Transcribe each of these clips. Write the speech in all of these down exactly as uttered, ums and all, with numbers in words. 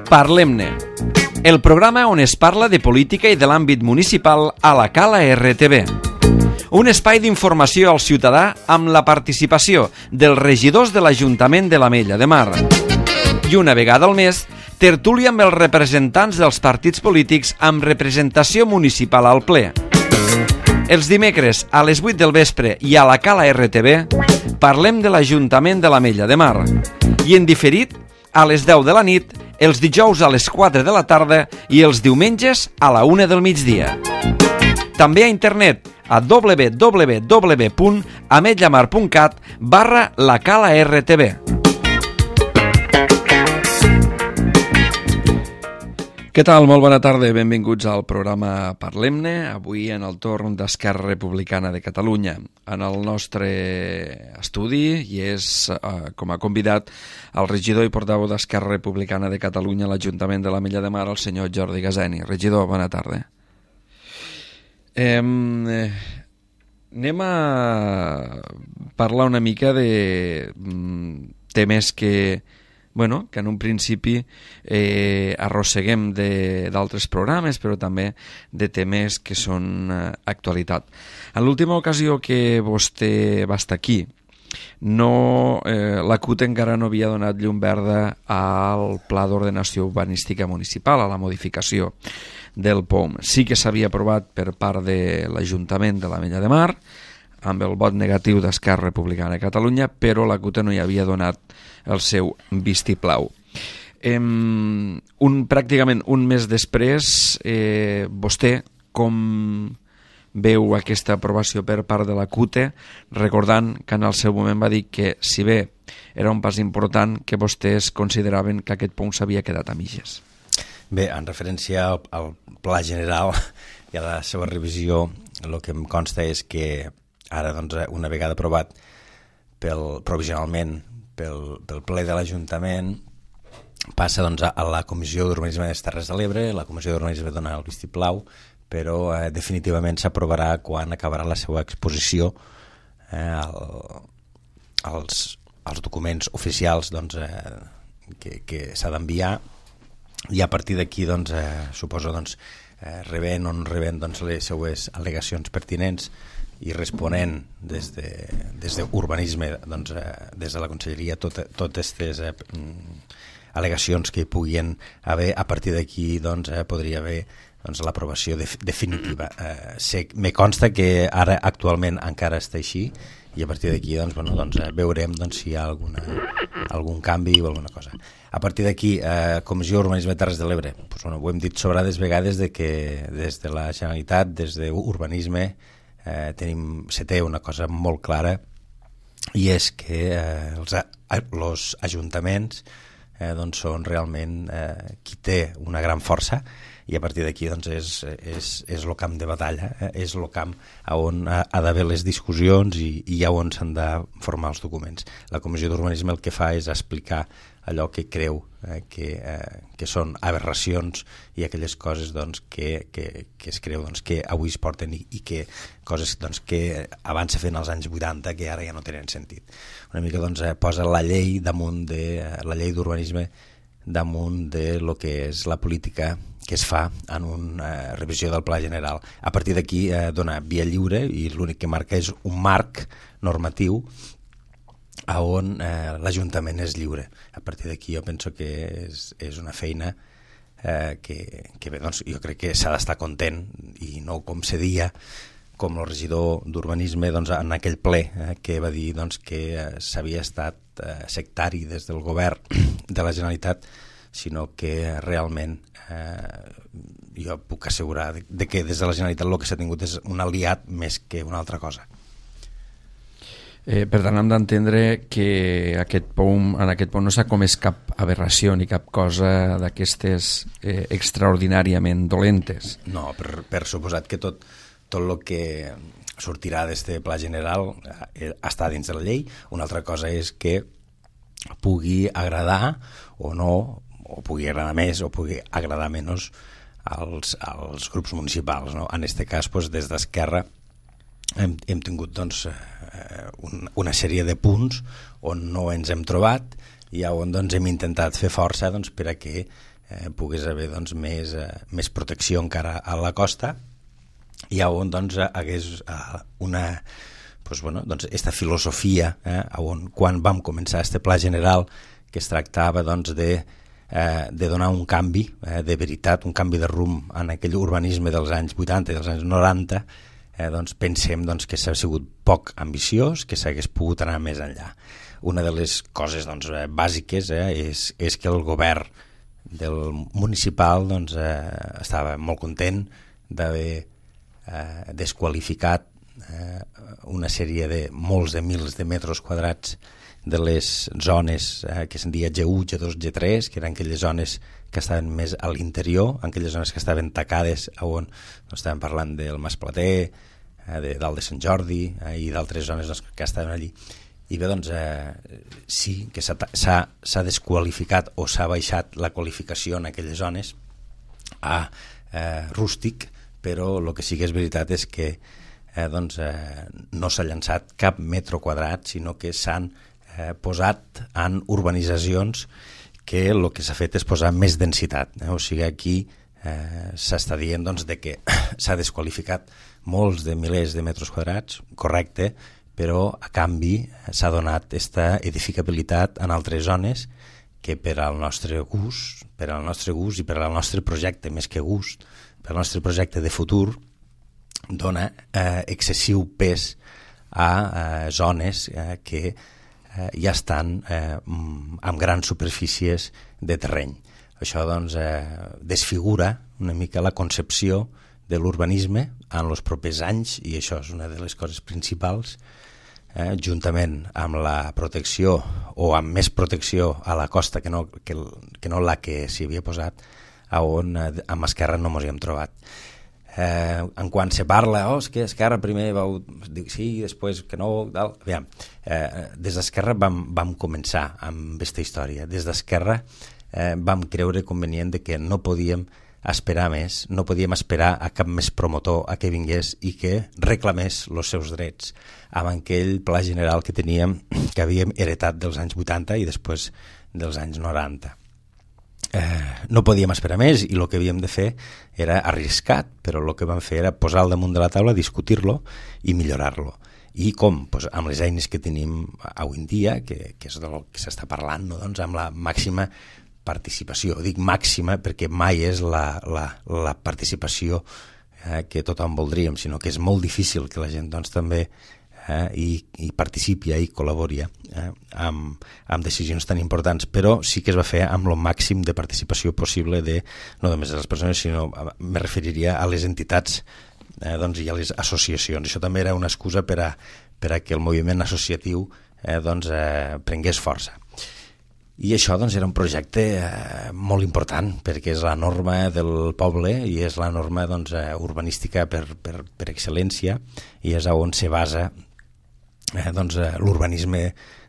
Parlem-ne, el programa on es parla de política i de l'àmbit municipal a la Cala R T V. Un espai d'informació al ciutadà amb la participació dels regidors de l'Ajuntament de l'Ametlla de Mar. I una vegada al mes, tertúlia amb els representants dels partits polítics amb representació municipal al ple. Els dimecres a les vuit del vespre i a la Cala R T V parlem de l'Ajuntament de l'Ametlla de Mar. I en diferit, a les deu de la nit, els dijous a les quatre de la tarda i els diumenges a la una del migdia. També a internet a w w w punt ametlamar punt cat barra la Cala R T V. Què tal? Molt bona tarda, benvinguts al programa Parlem-ne, avui en el torn d'Esquerra Republicana de Catalunya. En el nostre estudi hi és, eh, com a convidat, el regidor i portaveu d'Esquerra Republicana de Catalunya a l'Ajuntament de l'Ametlla de Mar, el senyor Jordi Gaseni. Regidor, bona tarda. Eh, eh, anem a parlar una mica de mm, temes que... Bueno, que en un principi eh, arrosseguem d'altres programes, però també de temes que són eh, actualitat. En l'última ocasió que vostè va estar aquí, no, eh, la C U T encara no havia donat llum verda al Pla d'Ordenació Urbanística Municipal, a la modificació del P O M. Sí que s'havia aprovat per part de l'Ajuntament de l'Ametlla de Mar, amb el vot negatiu d'Esquerra Republicana de Catalunya, però la C U T no hi havia donat el seu vistiplau. Eh, un, pràcticament un mes després, eh, vostè com veu aquesta aprovació per part de la C U T, recordant que en el seu moment va dir que, si bé era un pas important, que vostès consideraven que aquest punt s'havia quedat a mitges. Bé, en referència al, al Pla General i a la seva revisió, el que em consta és que ara, doncs, una vegada aprovat pel, provisionalment pel, pel ple de l'Ajuntament, passa doncs, a la Comissió d'Urbanisme de les Terres de l'Ebre. La Comissió d'Urbanisme dona el vistiplau, però eh, definitivament s'aprovarà quan acabarà la seva exposició eh, al, als, als documents oficials, doncs, eh, que, que s'ha d'enviar, i a partir d'aquí, doncs, eh, suposo, doncs, eh, rebent o no rebent, doncs, les seues al·legacions pertinents i responent des de, des d'urbanisme, doncs, eh, des de la Conselleria, totes tot aquestes eh, al·legacions que hi puguin haver. A partir d'aquí, doncs, eh, podria haver, doncs, l'aprovació de, definitiva. Eh, sé, me consta que ara actualment encara està així, i a partir d'aquí, doncs, bueno, doncs, eh, veurem, doncs, si hi ha alguna, algun canvi o alguna cosa. A partir d'aquí, eh, Comissió d'Urbanisme de Terres de l'Ebre, doncs, bueno, ho hem dit sobrades vegades de que des de la Generalitat, des d'Urbanisme, Eh, tenim, se té una cosa molt clara, i és que eh, els, els ajuntaments eh, doncs són realment eh, qui té una gran força, i a partir d'aquí, doncs, és, és, és el camp de batalla, eh, és el camp on ha, ha d'haver les discussions i, i on s'han de formar els documents. La Comissió d'Urbanisme el que fa és explicar allò que creu eh, que, eh, que són aberracions i aquelles coses, doncs, que, que, que es creu, doncs, que avui es porten i, i que coses, doncs, que abans se feien als anys vuitanta que ara ja no tenen sentit. Una mica, doncs, eh, posa la llei damunt de la llei d'urbanisme damunt de lo que és la política que es fa en una eh, revisió del Pla General. A partir d'aquí eh, dona via lliure, i l'únic que marca és un marc normatiu a on eh, l'Ajuntament és lliure. A partir d'aquí jo penso que és, és una feina eh, que, que bé, doncs, jo crec que s'ha d'estar content, i no com se dia, com el regidor d'Urbanisme, doncs, en aquell ple eh, que va dir, doncs, que eh, s'havia estat eh, sectari des del govern de la Generalitat, sinó que realment eh, jo puc assegurar de, de que des de la Generalitat el que s'ha tingut és un aliat més que una altra cosa. Eh, per tant, hem d'entendre que aquest punt, en aquest punt no s'ha comès cap aberració ni cap cosa d'aquestes eh, extraordinàriament dolentes. No, per, per suposat que tot, tot el que sortirà d'este Pla General eh, està dins de la llei. Una altra cosa és que pugui agradar o no, o pugui agradar més o pugui agradar menys als, als grups municipals, no? En aquest cas, doncs, des d'Esquerra hem, hem tingut, doncs, eh, un, una sèrie de punts on no ens hem trobat i on, doncs, hem intentat fer força, doncs, per a que eh, pogués haver doncs, més, eh, més protecció encara a la costa, i on doncs, hagués eh, una pues, bueno, doncs, esta filosofia, eh, on quan vam començar este pla general, que es tractava doncs, de, eh, de donar un canvi eh, de veritat, un canvi de rumb en aquell urbanisme dels anys vuitanta i dels anys noranta, eh, doncs, pensem doncs, que s'ha sigut poc ambiciós, que s'hagués pogut anar més enllà. Una de les coses doncs, bàsiques eh, és, és que el govern del municipal doncs, eh, estava molt content d'haver eh, desqualificat eh, una sèrie de molts de mils de metres quadrats de les zones eh, que se'n dia G u, G dos, G tres, que eren aquelles zones que estaven més a l'interior, aquelles zones que estaven tacades, on no estàvem parlant del Mas Plater, eh, de dalt de Sant Jordi eh, i d'altres zones doncs, que estaven allí. I bé, doncs, eh, sí que s'ha desqualificat o s'ha baixat la qualificació en aquelles zones a eh, rústic, però el que sí que és veritat és que eh, doncs, eh, no s'ha llançat cap metro quadrat, sinó que s'han eh, posat en urbanitzacions que el que s'ha fet és posar més densitat. Eh? O sigui, aquí eh, s'està dient doncs, de que s'ha desqualificat molts de milers de metres quadrats, correcte, però a canvi s'ha donat aquesta edificabilitat en altres zones que per al nostre gust, per al nostre gust i per al nostre projecte, més que gust, per al nostre projecte de futur, dona eh, excessiu pes a eh, zones eh, que eh, ja estan eh, amb grans superfícies de terreny. Això doncs, eh, desfigura una mica la concepció de l'urbanisme en els propers anys, i això és una de les coses principals, eh, juntament amb la protecció o amb més protecció a la costa que no, que, que no la que s'hi havia posat, on eh, amb Esquerra no ens hi hem trobat. Eh, en quan se parla, oh, és que Esquerra primer vau dir sí, després que no, tal. Aviam, eh, des d'Esquerra vam, vam començar amb aquesta història. Des d'Esquerra eh, vam creure convenient de que no podíem esperar més, no podíem esperar a cap més promotor a que vingués i que reclamés els seus drets amb aquell pla general que teníem, que havíem heretat dels anys vuitanta i després dels anys noranta. Eh, no podíem esperar més i el que havíem de fer era arriscat, però el que vam fer era posar al damunt de la taula, discutir-lo i millorar-lo. I com? Pues amb les eines que tenim avui en dia, que, que és del que s'està parlant, no? Doncs amb la màxima participació. Dic màxima perquè mai és la, la, la participació eh, que tothom voldríem, sinó que és molt difícil que la gent doncs, també eh, hi, hi participi i col·labori eh, amb, amb decisions tan importants, però sí que es va fer amb el màxim de participació possible de, no només de les persones, sinó me referiria a les entitats eh, doncs, i a les associacions. Això també era una excusa per a, per a que el moviment associatiu eh, doncs, eh, prengués força. I això doncs, era un projecte eh, molt important, perquè és la norma del poble i és la norma doncs, eh, urbanística per, per, per excel·lència, i és on se basa eh, doncs, eh, l'urbanisme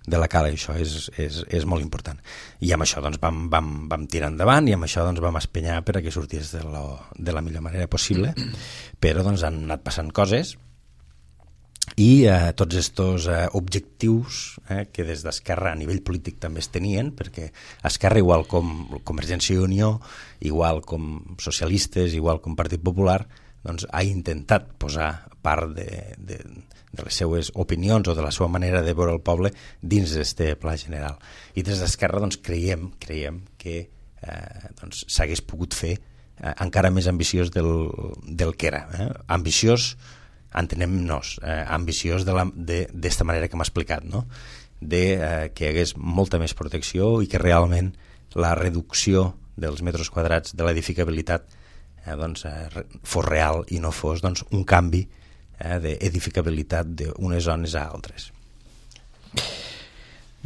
de la cala, i això és, és, és molt important. I amb això doncs, vam, vam, vam tirar endavant i amb això doncs, vam espenyar per a que sortís de, lo, de la millor manera possible, però doncs, han anat passant coses. I eh, tots aquests eh, objectius eh, que des d'Esquerra a nivell polític també es tenien, perquè Esquerra, igual com Convergència i Unió, igual com socialistes, igual com Partit Popular, doncs, ha intentat posar part de, de, de les seues opinions o de la seva manera de veure el poble dins d'aquest pla general. I des d'Esquerra doncs, creiem, creiem que eh, doncs, s'hagués pogut fer eh, encara més ambiciós del, del que era. Eh? Ambiciós, entenem-nos, eh, ambiciós d'esta manera que m'ha explicat, no? De eh, que hi hagués molta més protecció i que realment la reducció dels metres quadrats de l'edificabilitat eh, doncs, eh, fos real i no fos doncs, un canvi eh, d'edificabilitat d'unes zones a altres.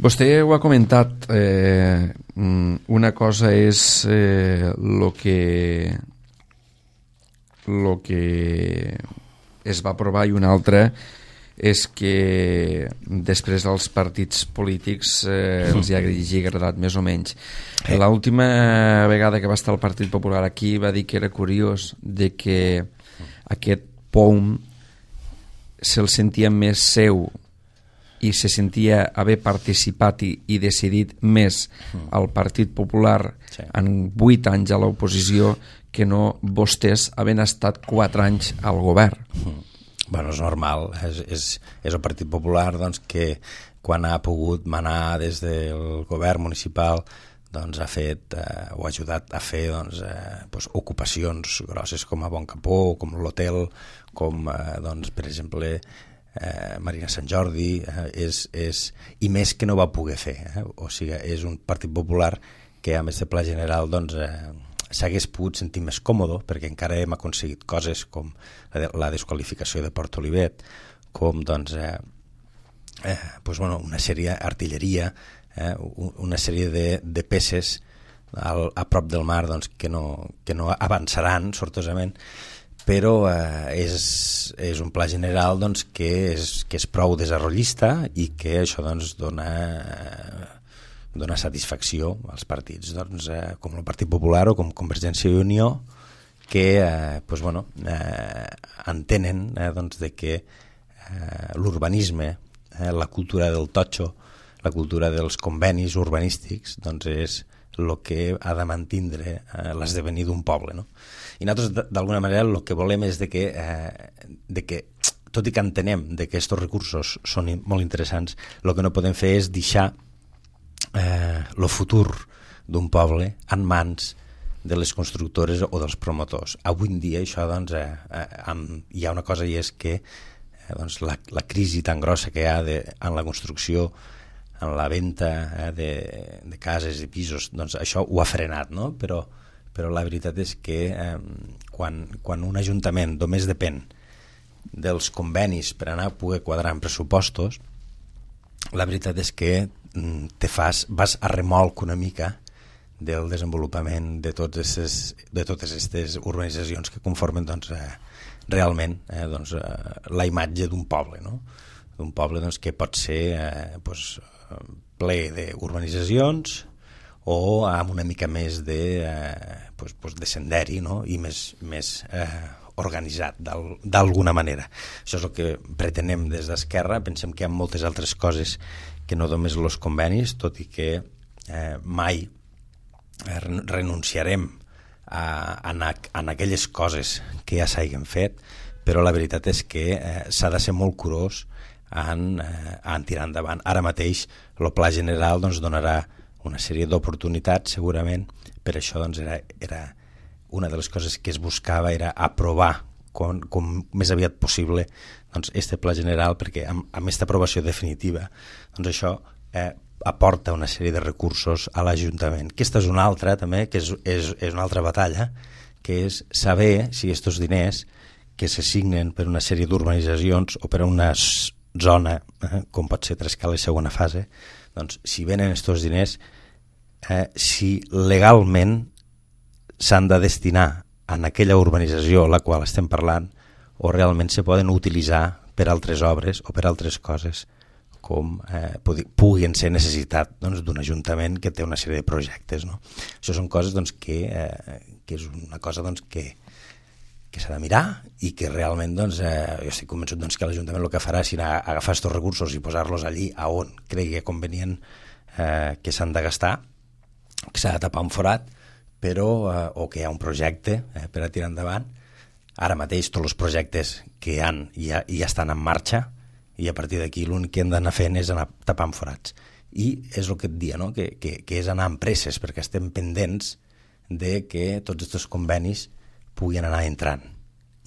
Vostè ho ha comentat, eh, una cosa és eh, lo que lo que es va aprovar i una altra és que després dels partits polítics eh, els hi hagi agradat més o menys. L'última vegada que va estar el Partit Popular aquí va dir que era curiós de que aquest P O U M se'l sentia més seu i se sentia haver participat i, i decidit més el Partit Popular sí. en vuit anys a l'oposició que no vostès havent estat quatre anys al govern. Bueno, és normal, és, és, és el Partit Popular doncs, que quan ha pogut manar des del govern municipal doncs ha fet eh, o ha ajudat a fer doncs, eh, doncs, ocupacions grosses com a Bon Capó, com l'hotel, com eh, doncs, per exemple eh, Marina Sant Jordi, eh, és, és, i més que no va poder fer. Eh? O sigui, és un Partit Popular que amb aquest pla general doncs, eh, s'hagués pogut sentir més còmode perquè encara hem aconseguit coses com la desqualificació de Port Olivet, com doncs, eh, eh, doncs, bueno, una sèrie d'artilleria, eh, una sèrie de, de peces al, a prop del mar doncs, que, no, que no avançaran sortosament, però eh, és, és un pla general doncs, que, és, que és prou desenvolupista i que això doncs, dona... Eh, dona satisfacció als partits doncs, eh, com el Partit Popular o com Convergència i Unió que eh, doncs, bueno, eh, entenen eh, doncs, de que eh, l'urbanisme, eh, la cultura del totxo, la cultura dels convenis urbanístics doncs, és el que ha de mantindre eh, l'esdevenir d'un poble. No? I nosaltres d'alguna manera el que volem és de que, eh, de que tot i que entenem de que aquests recursos són molt interessants, el que no podem fer és deixar Eh, el futur d'un poble en mans de les constructores o dels promotors. Avui en dia això, doncs, eh, eh, amb, hi ha una cosa i és que eh, doncs, la, la crisi tan grossa que hi ha de, en la construcció, en la venda eh, de, de cases i pisos, doncs això ho ha frenat, no? Però, però la veritat és que eh, quan, quan un ajuntament només depèn dels convenis per anar a poder quadrar en pressupostos, la veritat és que te fas, vas a remolc una mica del desenvolupament de, tots estes, de totes aquestes urbanitzacions que conformen doncs, eh, realment eh, doncs, eh, la imatge d'un poble, no? D'un poble doncs, que pot ser eh, doncs, ple d'urbanitzacions o amb una mica més de, eh, doncs, doncs de senderi, no? I més, més eh, organitzat d'alguna manera. Això és el que pretenem des d'Esquerra. Pensem que hi ha moltes altres coses que no només els convenis, tot i que eh, mai eh, renunciarem a, a, a aquelles coses que ja s'hagin fet, però la veritat és que eh, s'ha de ser molt curós en, eh, en tirar endavant. Ara mateix el pla general doncs, donarà una sèrie d'oportunitats segurament, per això doncs, era, era una de les coses que es buscava era aprovar com, com més aviat possible doncs, este pla general, perquè amb, amb aquesta aprovació definitiva doncs això eh, aporta una sèrie de recursos a l'Ajuntament. Aquesta és una altra també, que és, és, és una altra batalla, que és saber si aquests diners que s'assignen per una sèrie d'urbanitzacions o per a una zona, eh, com pot ser Trescala i segona fase, doncs si venen aquests diners, eh, si legalment s'han de destinar en aquella urbanització a la qual estem parlant o realment se poden utilitzar per altres obres o per altres coses com eh, puguin ser necessitat doncs, d'un ajuntament que té una sèrie de projectes. No? Això són coses doncs, que, eh, que és una cosa doncs, que, que s'ha de mirar i que realment doncs, eh, jo estic convençut doncs, que l'Ajuntament el que farà serà agafar aquests recursos i posar-los allí a on cregui convenient eh, que s'han de gastar, que s'ha de tapar un forat, però, eh, o que hi ha un projecte eh, per a tirar endavant. Ara mateix tots els projectes que hi ha ja, ja estan en marxa i a partir d'aquí l'únic que hem d'anar fent és anar tapant forats. I és el que et dia, no? que, que, que és anar amb presses perquè estem pendents de que tots aquests convenis puguin anar entrant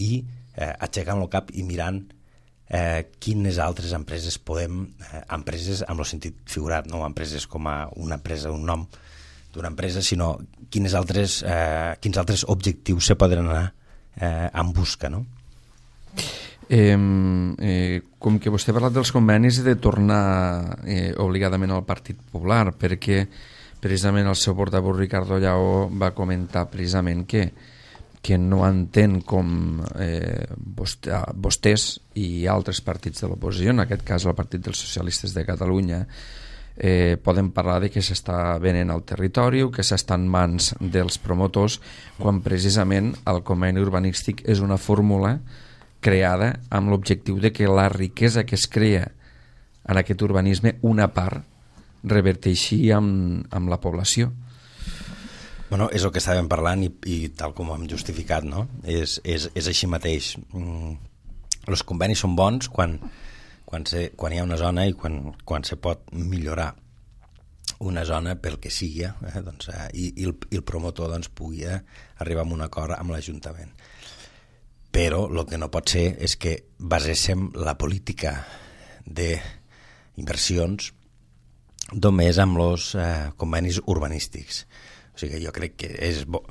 i eh, aixecant el cap i mirant eh, quines altres empreses podem, eh, empreses amb el sentit figurat, no empreses com a una empresa, un nom d'una empresa, sinó quines altres, eh, quins altres objectius se poden anar eh, en busca, no? Eh, eh, com que vostè ha parlat dels convenis de tornar eh, obligadament al Partit Popular, perquè precisament el seu portaveu Ricardo Lleó va comentar precisament que, que no entén com eh, vostè, vostès i altres partits de l'oposició, en aquest cas el Partit dels Socialistes de Catalunya, Eh, poden parlar de que s'està venent al territori o que s'està en mans dels promotors, quan precisament el conveni urbanístic és una fórmula creada amb l'objectiu de que la riquesa que es crea en aquest urbanisme, una part reverteixi amb, amb la població. Bueno, és el que estàvem parlant i, i tal com ho hem justificat, no? És, és, és així mateix. Mm, els convenis són bons quan, quan, se, quan hi ha una zona i quan, quan se pot millorar una zona pel que sigui, eh? doncs, eh, i, i, el, i el promotor doncs, pugui arribar a un acord amb l'Ajuntament. Però el que no pot ser és que baséssim la política d'inversions només amb els eh, convenis urbanístics. O sigui, jo crec que és bo.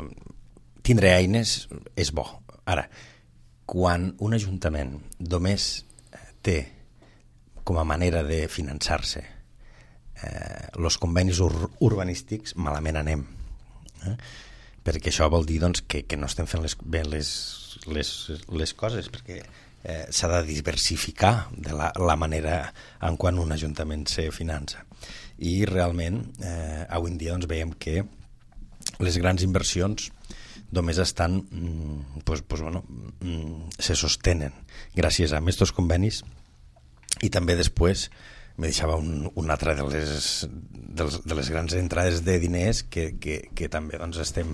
Tindre eines és bo. Ara, quan un ajuntament només té com a manera de finançar-se els eh, convenis ur urbanístics, malament anem. Eh? Perquè això vol dir doncs, que, que no estem fent les, bé les, les, les coses, perquè eh, s'ha de diversificar de la, la manera en quan un ajuntament se finança. I realment, eh, avui en dia doncs, veiem que les grans inversions només estan, mm, pues, pues, bueno, mm, se sostenen gràcies a aquests convenis i també després me deixava un, un altre de les, de, les, de les grans entrades de diners que, que, que també doncs, estem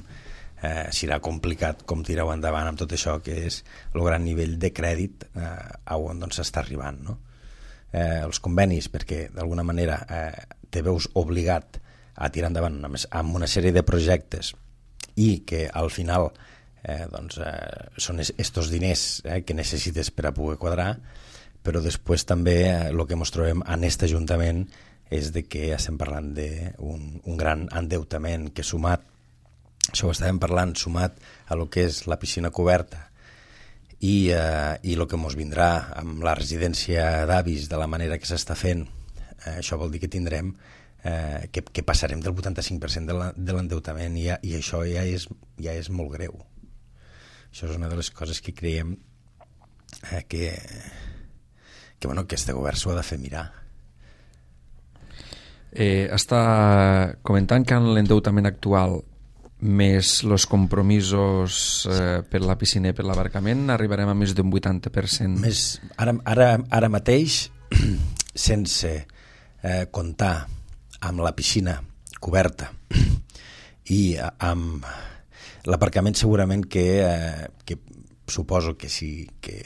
eh, serà complicat com tirar-ho endavant amb tot això, que és el gran nivell de crèdit eh, a on doncs, s'està arribant, no? Eh, els convenis, perquè d'alguna manera eh, te veus obligat a tirar endavant amb una sèrie de projectes i que al final eh, doncs, eh, són estos diners eh, que necessites per a poder quadrar, però després també el que ens trobem en aquest Ajuntament és de que estem parlant d'un un gran endeutament que sumat, això ho estàvem parlant, sumat a lo que és la piscina coberta i, eh, i el que ens vindrà amb la residència d'avis de la manera que s'està fent, eh, això vol dir que tindrem, eh, que, que passarem del vuitanta-cinc per cent de l'endeutament i, i això ja és, ja és molt greu. Això és una de les coses que creiem eh, que... que, bueno, que este govern s'ho ha de fer mirar. Eh, està comentant que en l'endeutament actual més els compromisos eh, per la piscina i per l'abarcament arribarem a més d'un vuitanta per cent. Més, ara, ara, ara mateix, sense eh, comptar amb la piscina coberta i amb l'aparcament, segurament que, eh, que suposo que sí que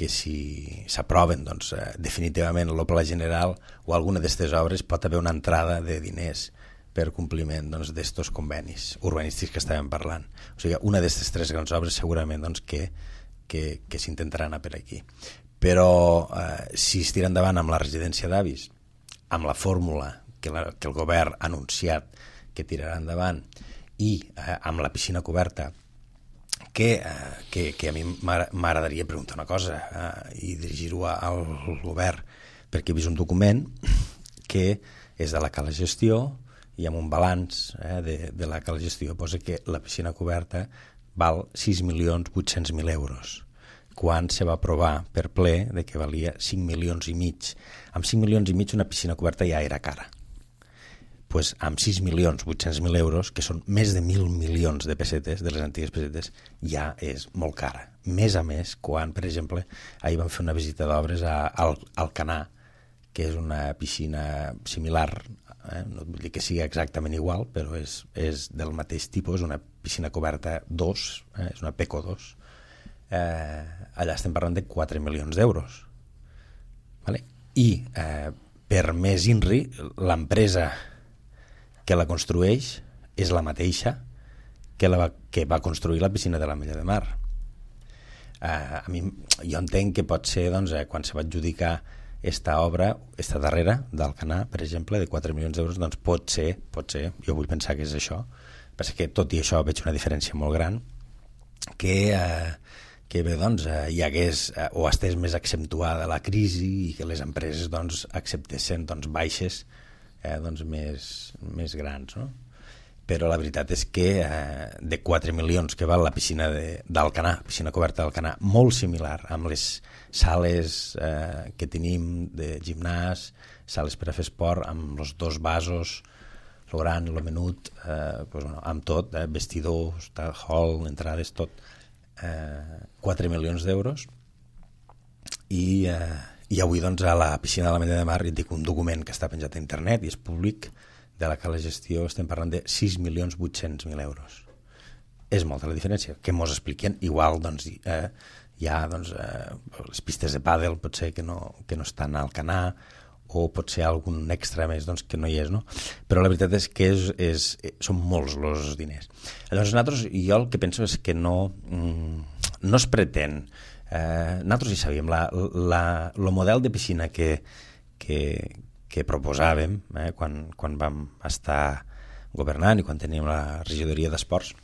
que si s'aproven doncs, eh, definitivament el pla general o alguna d'aquestes obres pot haver una entrada de diners per compliment doncs, d'estos convenis urbanístics que estàvem parlant. O sigui, una d'aquestes tres grans obres segurament doncs, que, que, que s'intentarà anar per aquí. Però eh, si es tira endavant amb la residència d'avis, amb la fórmula que, la, que el govern ha anunciat que tirarà endavant i eh, amb la piscina coberta, Que, que, que a mi m'agradaria preguntar una cosa eh, i dirigir-ho al govern, perquè he vist un document que és de la Cala Gestió i amb un balanç eh, de, de la Cala Gestió posa que la piscina coberta val sis milions vuit-cents mil euros, quan se va aprovar per ple de que valia cinc milions i mig. Amb cinc milions i mig una piscina coberta ja era cara. Pues amb sis milions vuit-cents mil euros, que són més de mil milions de pessetes, de les antigues pessetes, ja és molt cara. Més a més, quan, per exemple, ahir vam fer una visita d'obres al Alcanar, que és una piscina similar, eh? No vull dir que sigui exactament igual, però és, és del mateix tipus, una piscina coberta dos, eh? És una Peco dos. Eh, allà estem parlant de quatre milions d'euros. Vale? I, eh, per més INRI, l'empresa que la construeix és la mateixa que, la va, que va construir la piscina de l'Ametlla de Mar. Uh, a mi, jo entenc que pot ser doncs, eh, quan se va adjudicar esta obra, esta darrera d'Alcanar, per exemple, de quatre milions d'euros, doncs pot ser, pot ser, jo vull pensar que és això, perquè que tot i això veig una diferència molt gran, que, eh, que bé, doncs, eh, hi hagués eh, o estés més accentuada la crisi i que les empreses doncs, acceptessin doncs, baixes Eh, doncs més, més grans, no? Però la veritat és que eh, de quatre milions que val la piscina d'Alcanar, piscina coberta d'Alcanar, molt similar amb les sales eh, que tenim de gimnàs, sales per a fer esport, amb els dos vasos, el gran, el menut, eh, pues, bueno, amb tot, eh, vestidors, hall, entrades, tot, eh, quatre milions d'euros i, eh, I avui doncs, a la piscina de l'Ametlla de Mar hi dic un document que està penjat a internet i és públic, de la que la gestió estem parlant de sis milions vuit-cents mil euros. És molta la diferència, que mos expliquen. Igual doncs, eh, hi ha doncs, eh, les pistes de pàdel potser que no, que no estan al Canà, o potser algun extra més doncs, que no hi és, no? Però la veritat és que és, és, són molts els diners. Llavors nosaltres, jo el que penso és que no, no es pretén. Eh, nosaltres hi sabíem, la, la, el model de piscina que, que, que proposàvem eh, quan, quan vam estar governant i quan teníem la regidoria d'esports,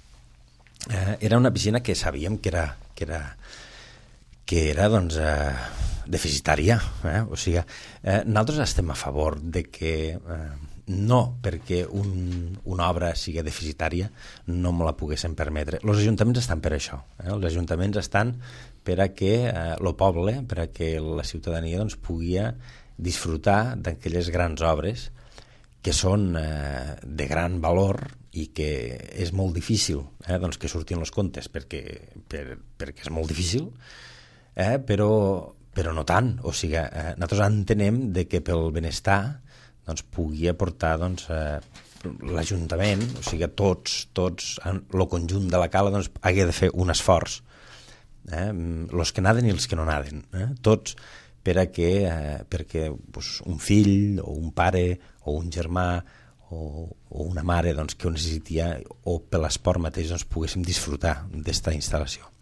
eh, era una piscina que sabíem que era, que era, que era doncs, eh, deficitària. Eh? O sigui, eh, nosaltres estem a favor de que eh, no perquè un, una obra sigui deficitària no me la poguessin permetre. Els ajuntaments estan per això. Eh? Els ajuntaments estan per a que eh, el poble, per a que la ciutadania doncs, pugui disfrutar d'aquelles grans obres que són eh, de gran valor i que és molt difícil eh, doncs, que surtin els comptes perquè, per, perquè és molt difícil, eh, però però no tant, o sigui, eh, nosaltres entenem de que pel benestar doncs, pugui aportar doncs, eh, l'Ajuntament, o sigui, tots, tots, el conjunt de la cala doncs, hagi de fer un esforç, eh, els que naden i els que no naden, eh, tots, per a que, eh, perquè doncs, un fill o un pare o un germà o, o una mare doncs, que ho necessitia o per l'esport mateix doncs, poguéssim disfrutar d'esta instal·lació.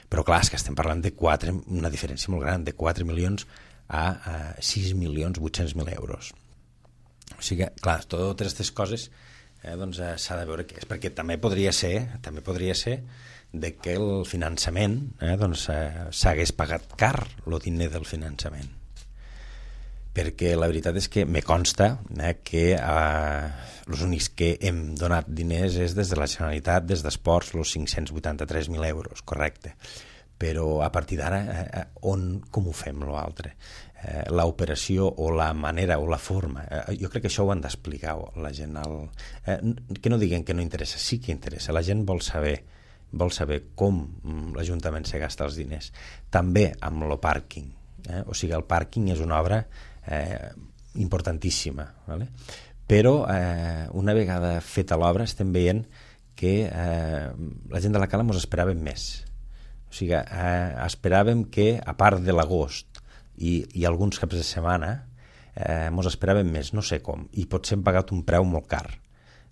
Però clar, és que estem parlant de quatre, una diferència molt gran, de quatre milions a, a sis milions vuit-cents mil euros. O sigui, clar, totes aquestes coses eh, doncs, eh, s'ha de veure què és, perquè també podria ser, també podria ser de que el finançament eh, doncs, eh, s'hagués pagat car, el diner del finançament. Perquè la veritat és que me consta eh, que eh, els únics que hem donat diners és des de la Generalitat, des d'Esports, els cinc-cents vuitanta-tres mil euros, correcte. Però a partir d'ara, eh, on, com ho fem, l'altre? Eh, l'operació o la manera o la forma. Eh, jo crec que això ho han d'explicar la gent. El, eh, que no diguen que no interessa, sí que interessa. La gent vol saber, vol saber com l'Ajuntament se gasta els diners. També amb el pàrquing. Eh? O sigui, el pàrquing és una obra eh, importantíssima, vale? Però eh, una vegada feta l'obra estem veient que eh, la gent de la cala ens esperàvem més. O sigui, eh, esperàvem que, a part de l'agost i, i alguns caps de setmana, eh, ens esperàvem més, no sé com, i potser hem pagat un preu molt car.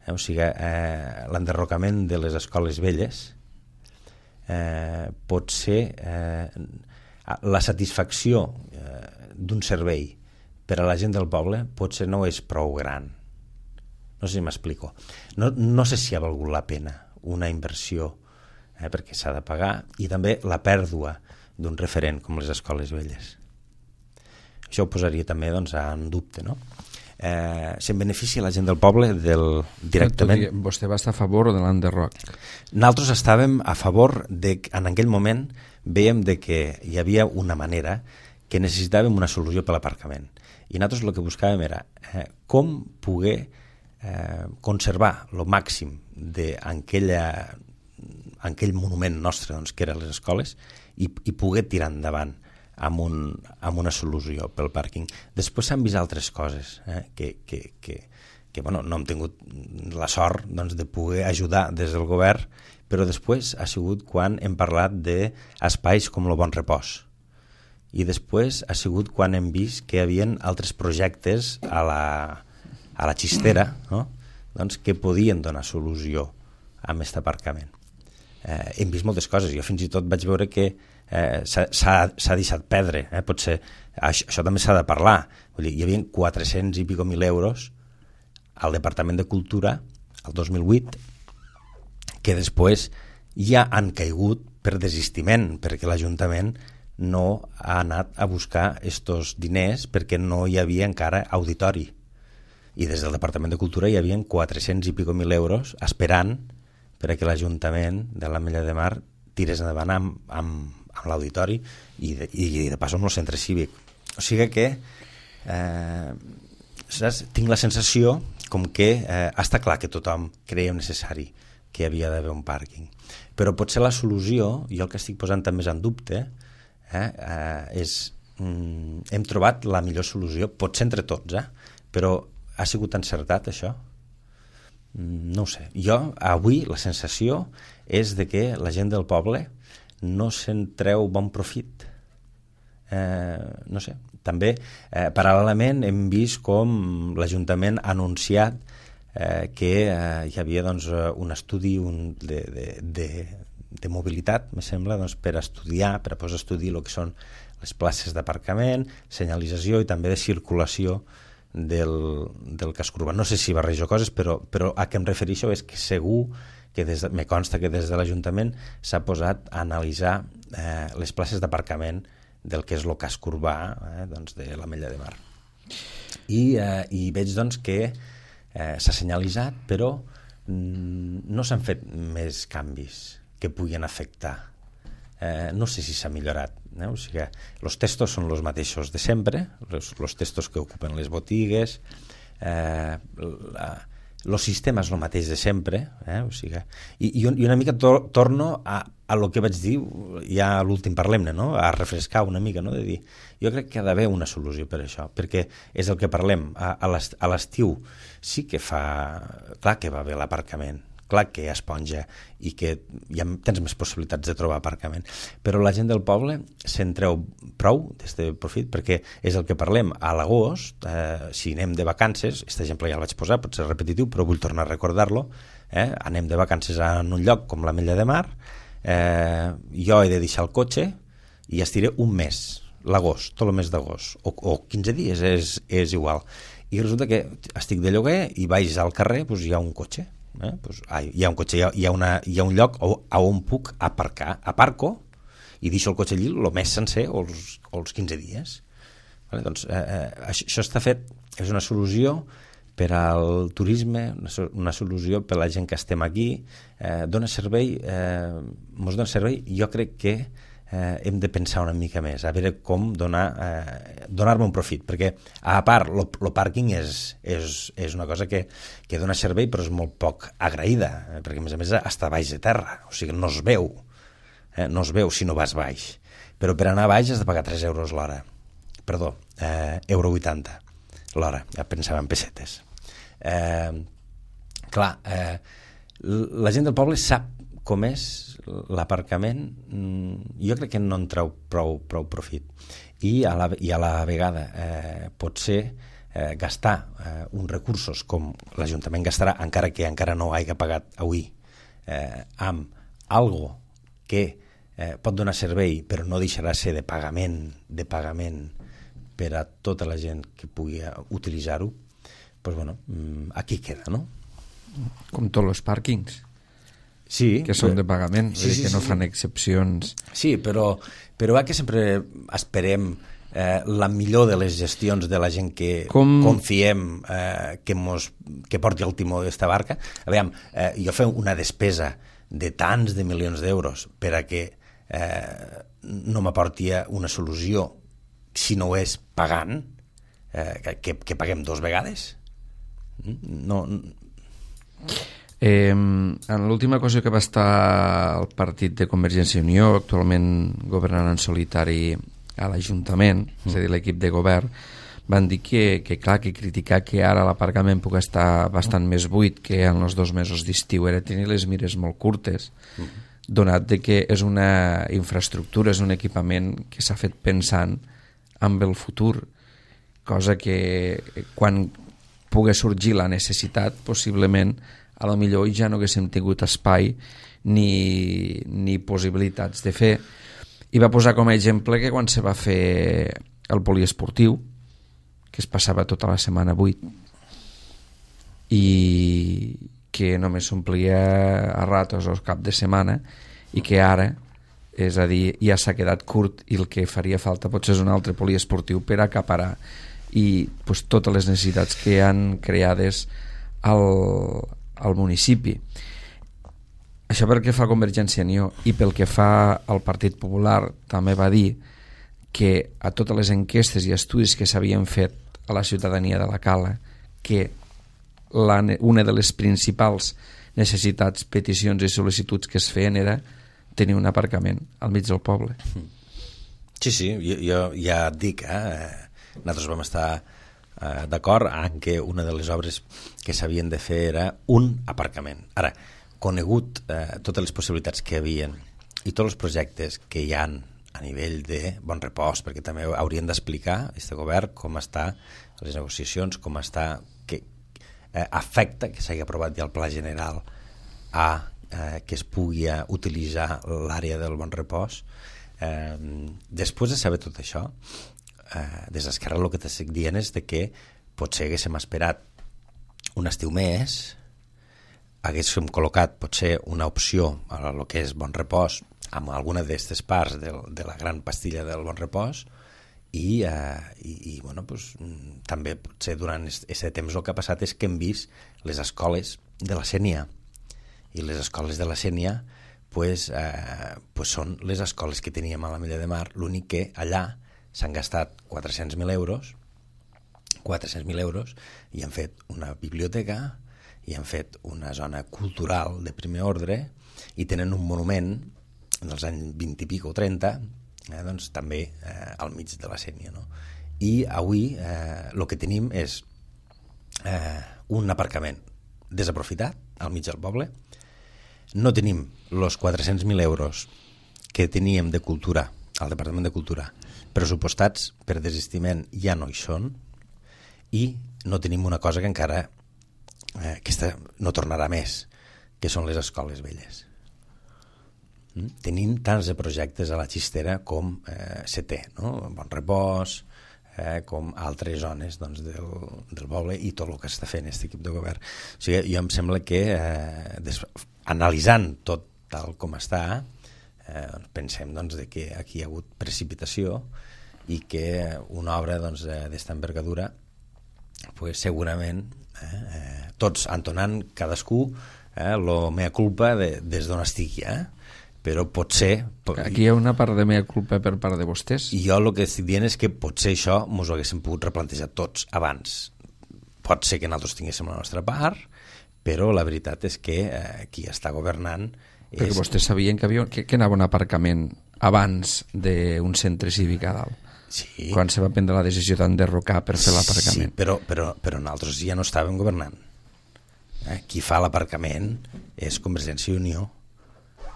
Eh? O sigui, eh, l'enderrocament de les escoles velles eh, pot ser eh, la satisfacció eh, d'un servei per a la gent del poble potser no és prou gran. No sé si m'explico. No, no sé si ha valgut la pena una inversió, eh, perquè s'ha de pagar, i també la pèrdua d'un referent com les escoles velles. Això ho posaria també doncs, en dubte, no? Eh, se'n beneficia la gent del poble del, directament. Vostè va estar a favor de l'enderroc? Nosaltres estàvem a favor de, en aquell moment veiem de que hi havia una manera que necessitàvem una solució per l'aparcament. I nosaltres el que buscàvem era eh, com poder eh, conservar el màxim d'aquell monument nostre doncs, que eren les escoles i, i poder tirar endavant amb, un, amb una solució pel pàrquing. Després s'han vist altres coses eh, que, que, que, que bueno, no hem tingut la sort doncs, de poder ajudar des del govern, però després ha sigut quan hem parlat d'espais com el Bon Repòs. I després ha sigut quan hem vist que hi havia altres projectes a la, a la Xistera, no? doncs, que podien donar solució a aquest aparcament. Eh, hem vist moltes coses. Jo fins i tot vaig veure que eh, s'ha deixat perdre. Eh? Potser això, això també s'ha de parlar. Vull dir, hi havia quatre-cents i pico mil euros al Departament de Cultura el dos mil vuit que després ja han caigut per desistiment, perquè l'Ajuntament no ha anat a buscar estos diners perquè no hi havia encara auditori. I des del Departament de Cultura hi havia quatre-cents i pico mil euros esperant per a que l'Ajuntament de l'Ametlla de Mar tirés endavant amb, amb, amb l'auditori i de, i de pas amb el centre cívic. O sigui que eh, saps? Tinc la sensació com que eh, està clar que tothom creia necessari que hi havia d'haver un pàrquing. Però potser la solució, jo el que estic posant també en dubte, eh, eh, és mm, hem trobat la millor solució, potser entre tots, eh? Però ha sigut encertat això? Mm, no ho sé. Jo, avui, la sensació és de que la gent del poble no se'n treu bon profit. Eh, no sé. També, eh, paral·lelament, hem vist com l'Ajuntament ha anunciat eh, que eh, hi havia doncs, un estudi un de, de, de, de mobilitat, me sembla, doncs, per estudiar, per a posar a estudi el que són les places d'aparcament, senyalització i també de circulació del, del casc urbà. No sé si barrejo coses, però, però a què em refereixo és que segur que des de, me consta que des de l'Ajuntament s'ha posat a analitzar eh, les places d'aparcament del que és el casc urbà eh, doncs de l'Ametlla de Mar. I, eh, i veig doncs, que eh, s'ha senyalitzat, però mm, no s'han fet més canvis que puguin afectar. Eh, no sé si s'ha millorat. Eh? O sigui, els textos són els mateixos de sempre, els textos que ocupen les botigues, eh, la, el sistema és el mateix de sempre, eh? O sigui, i, i una mica to, torno a, a lo que vaig dir ja a l'últim Parlem-ne, no? A refrescar una mica, no? De dir, jo crec que ha d'haver una solució per això, perquè és el que parlem, a, a l'estiu sí que fa, clar que va bé l'aparcament, clar que hi ha esponja i que ja tens més possibilitats de trobar aparcament, però la gent del poble se'n treu prou des de profit, perquè és el que parlem a l'agost, eh, si anem de vacances, aquest exemple ja el vaig posar, pot ser repetitiu, però vull tornar a recordar-lo, eh, anem de vacances en un lloc com l'Ametlla de Mar, eh, jo he de deixar el cotxe i estiré un mes, l'agost, tot el mes d'agost, o, o quinze dies, és, és igual, i resulta que estic de lloguer i vaig al carrer, doncs hi ha un cotxe, Eh? Pues, ai, hi ha un cotxe, hi ha, hi ha, una, hi ha un lloc a on puc aparcar, aparco i deixo el cotxe allí el mes sencer o els, o els quinze dies. Vale? Doncs, eh, eh, això, això està fet, és una solució per al turisme, una, una solució per a la gent que estem aquí, eh, dona servei, eh, mos dona servei, jo crec que eh, hem de pensar una mica més, a veure com donar, eh, donar-me un profit, perquè a part, el pàrquing és, és, és una cosa que, que dona servei però és molt poc agraïda, eh, perquè a més a més està baix de terra, o sigui, no es veu, eh, no es veu si no vas baix, però per anar baix has de pagar tres euros l'hora, perdó, eh, euro vuitanta l'hora, ja pensava en pessetes. Eh, clar, eh, la gent del poble sap com és l'aparcament, jo crec que no en treu prou, prou profit. I a la, i a la vegada eh, pot ser eh, gastar eh, uns recursos com l'Ajuntament gastarà, encara que encara no hagi pagat avui, eh, amb algo que eh, pot donar servei però no deixarà ser de pagament, de pagament per a tota la gent que pugui utilitzar-ho, doncs bueno, aquí queda, no? Com tots els pàrquings. Sí, que són de pagament, sí, sí, que no sí. fan excepcions. Sí, però, però que sempre esperem eh, la millor de les gestions de la gent que Com... confiem eh, que, mos, que porti el timó d'esta barca. A veure, eh, jo fem una despesa de tants de milions d'euros per a que eh, no m'aporti una solució si no ho és pagant, eh, que, que paguem dos vegades. No... Eh, en l'última cosa que va estar el partit de Convergència i Unió, actualment governant en solitari a l'Ajuntament, mm. és a dir, l'equip de govern, van dir que, que clar, que criticar que ara l'aparcament pugui estar bastant més buit que en els dos mesos d'estiu era tenir les mires molt curtes, mm. donat de que és una infraestructura, és un equipament que s'ha fet pensant amb el futur, cosa que quan pugui sorgir la necessitat, possiblement a lo millor ja no haguéssim tingut espai ni, ni possibilitats de fer. I va posar com a exemple que quan se va fer el poliesportiu, que es passava tota la setmana buit i que només s'omplia a ratos o cap de setmana, i que ara, és a dir, ja s'ha quedat curt i el que faria falta potser és un altre poliesportiu per acaparar i pues, totes les necessitats que han creades al, al municipi. Això pel que fa a Convergència i Unió, i pel que fa al Partit Popular també va dir que a totes les enquestes i estudis que s'havien fet a la ciutadania de la Cala, que la, una de les principals necessitats, peticions i sol·licituds que es feien era tenir un aparcament al mig del poble. Sí, sí, jo, jo ja et dic, eh, nosaltres vam estar eh, d'acord en que una de les obres que s'havien de fer era un aparcament. Ara, conegut eh, totes les possibilitats que hi havia i tots els projectes que hi han a nivell de bon repòs, perquè també haurien d'explicar aquest govern com està les negociacions, com està, que eh, afecta que s'hagi aprovat ja el pla general a eh, que es pugui utilitzar l'àrea del bon repòs. Eh, després de saber tot això, eh, des d'Esquerra el que t'estic dient és de que potser haguéssim esperat un estiu més, haguéssim col·locat potser una opció a el que és bon repòs amb alguna d'aquestes parts de, de la gran pastilla del bon repòs i, eh, i, i bueno, pues, també potser durant aquest temps el que ha passat és que hem vist les escoles de la Sénia i les escoles de la Sénia pues, eh, pues són les escoles que teníem a la Mella de Mar, l'únic que allà s'han gastat quatre-cents mil euros quatre-cents mil euros i han fet una biblioteca i han fet una zona cultural de primer ordre i tenen un monument dels anys vint i pico o trenta eh, doncs també eh, al mig de la Sénia, no? I avui eh, el que tenim és eh, un aparcament desaprofitat al mig del poble. No tenim els quatre-cents mil euros que teníem de cultura al Departament de Cultura pressupostats per desistiment, ja no hi són, i no tenim una cosa que encara eh, aquesta no tornarà més, que són les escoles velles. Mm? Tenim tants de projectes a la xistera com eh, se té, no? Bon Repòs, eh, com altres zones doncs, del, del poble i tot el que està fent aquest equip de govern. O sigui, jo em sembla que eh, des, analitzant tot tal com està, eh, pensem doncs, de que aquí hi ha hagut precipitació i que una obra doncs, d'esta envergadura pues, segurament eh, eh, tots entonant cadascú eh, lo mea culpa de, des d'on estigui, eh? Però potser... Aquí hi ha una part de mea culpa per part de vostès. I jo el que estic dient és que potser això ens ho haguéssim pogut replantejar tots abans. Pot ser que nosaltres tinguéssim la nostra part, però la veritat és que eh, qui està governant... Perquè és... vostès sabien que, havia, que, que anava un aparcament abans d'un centre cívic a dalt. Sí. Quan se va prendre la decisió d'enderrocar per fer l'aparcament. Sí, però, però, però nosaltres ja no estàvem governant. Eh? Qui fa l'aparcament és Convergència i Unió.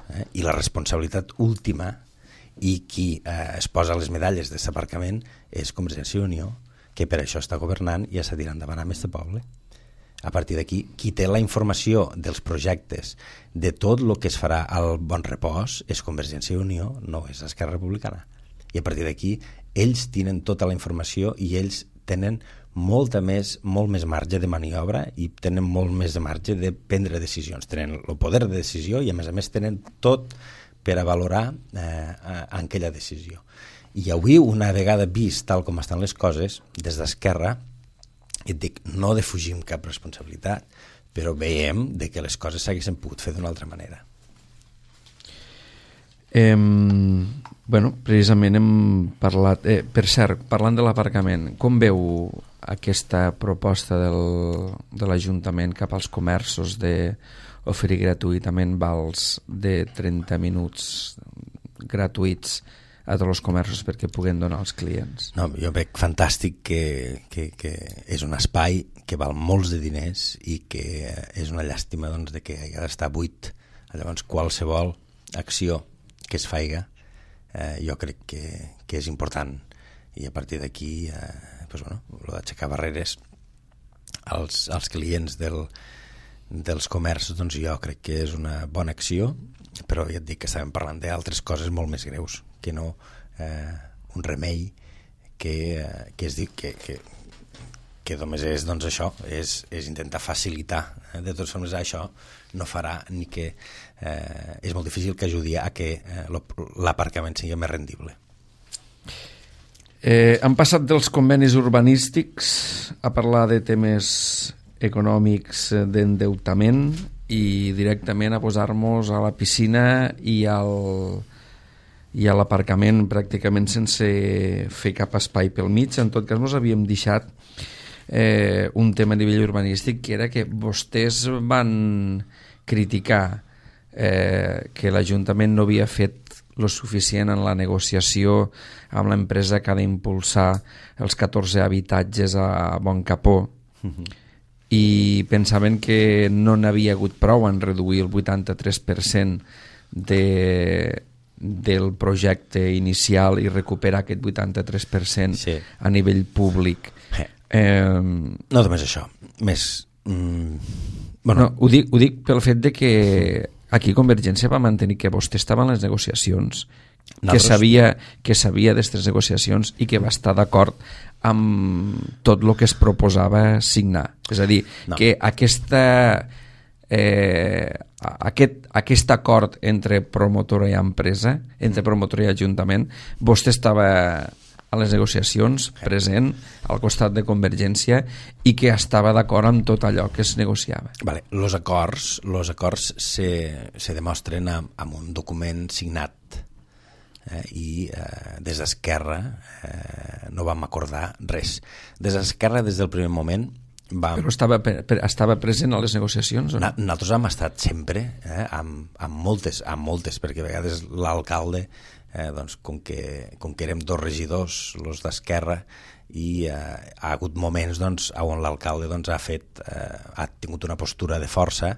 Eh? I la responsabilitat última i qui eh, es posa les medalles d'aquest aparcament és Convergència i Unió, que per això està governant i està tirant endavant amb aquest poble. A partir d'aquí, qui té la informació dels projectes de tot el que es farà al Bon Repòs és Convergència i Unió, no és Esquerra Republicana. I a partir d'aquí, ells tenen tota la informació i ells tenen molta més, molt més marge de maniobra i tenen molt més de marge de prendre decisions. Tenen el poder de decisió i a més a més tenen tot per a valorar eh, aquella decisió. I avui, una vegada vist tal com estan les coses, des d'Esquerra, et dic, no defugim cap responsabilitat, però veiem de que les coses s'haguessin pogut fer d'una altra manera. Eh, bueno, precisament hem parlat... Eh, per cert, parlant de l'aparcament, com veu aquesta proposta del, de l'Ajuntament cap als comerços d'oferir gratuïtament vals de trenta minuts gratuïts a tots els comerços perquè puguen donar als clients? No, jo veig fantàstic que, que, que és un espai que val molts de diners i que és una llàstima doncs, de que hagi d'estar buit. Llavors, qualsevol acció que es faiga eh, jo crec que, que és important i a partir d'aquí eh, pues, bueno, lo d'aixecar barreres als, als clients del, dels comerços doncs jo crec que és una bona acció, però ja et dic que estàvem parlant d'altres coses molt més greus que no eh, un remei que, eh, que es diu que, que, que només és doncs, això, és, és intentar facilitar. Eh? De totes formes, això no farà ni que... Eh, és molt difícil que ajudi a que eh, l'aparcament sigui més rendible. Eh, han passat dels convenis urbanístics a parlar de temes econòmics d'endeutament i directament a posar-nos a la piscina i al... i a l'aparcament pràcticament sense fer cap espai pel mig. En tot cas, ens havíem deixat eh, un tema a nivell urbanístic que era que vostès van criticar eh, que l'Ajuntament no havia fet lo suficient en la negociació amb l'empresa que ha d'impulsar els catorze habitatges a Bon Capó, uh-huh. i pensaven que no n'havia hagut prou en reduir el vuitanta-tres per cent de, del projecte inicial i recuperar aquest vuitanta-tres per cent sí. a nivell públic. Eh. Eh, no només això, més... Mm, bueno. no, ho, dic, ho dic pel fet de que aquí Convergència va mantenir que vostè estava en les negociacions, Nosaltres... que sabia, que sabia d'aquestes negociacions i que va estar d'acord amb tot el que es proposava signar. És a dir, no. que aquesta, eh, aquest, aquest acord entre promotora i empresa, entre promotora i ajuntament, vostè estava a les negociacions, present, al costat de Convergència, i que estava d'acord amb tot allò que es negociava. Vale. Los acords, los acords se, se demostren amb, amb un document signat, eh, i eh, des d'Esquerra eh, no vam acordar res. Des d'Esquerra, des del primer moment, vam... Però estava, per, estava present a les negociacions? O no? Nosaltres hem estat sempre, eh, amb, amb, moltes, amb moltes, perquè a vegades l'alcalde, eh, doncs, com, que, com que érem dos regidors, els d'Esquerra, i eh, ha hagut moments doncs, on l'alcalde doncs, ha, fet, eh, ha tingut una postura de força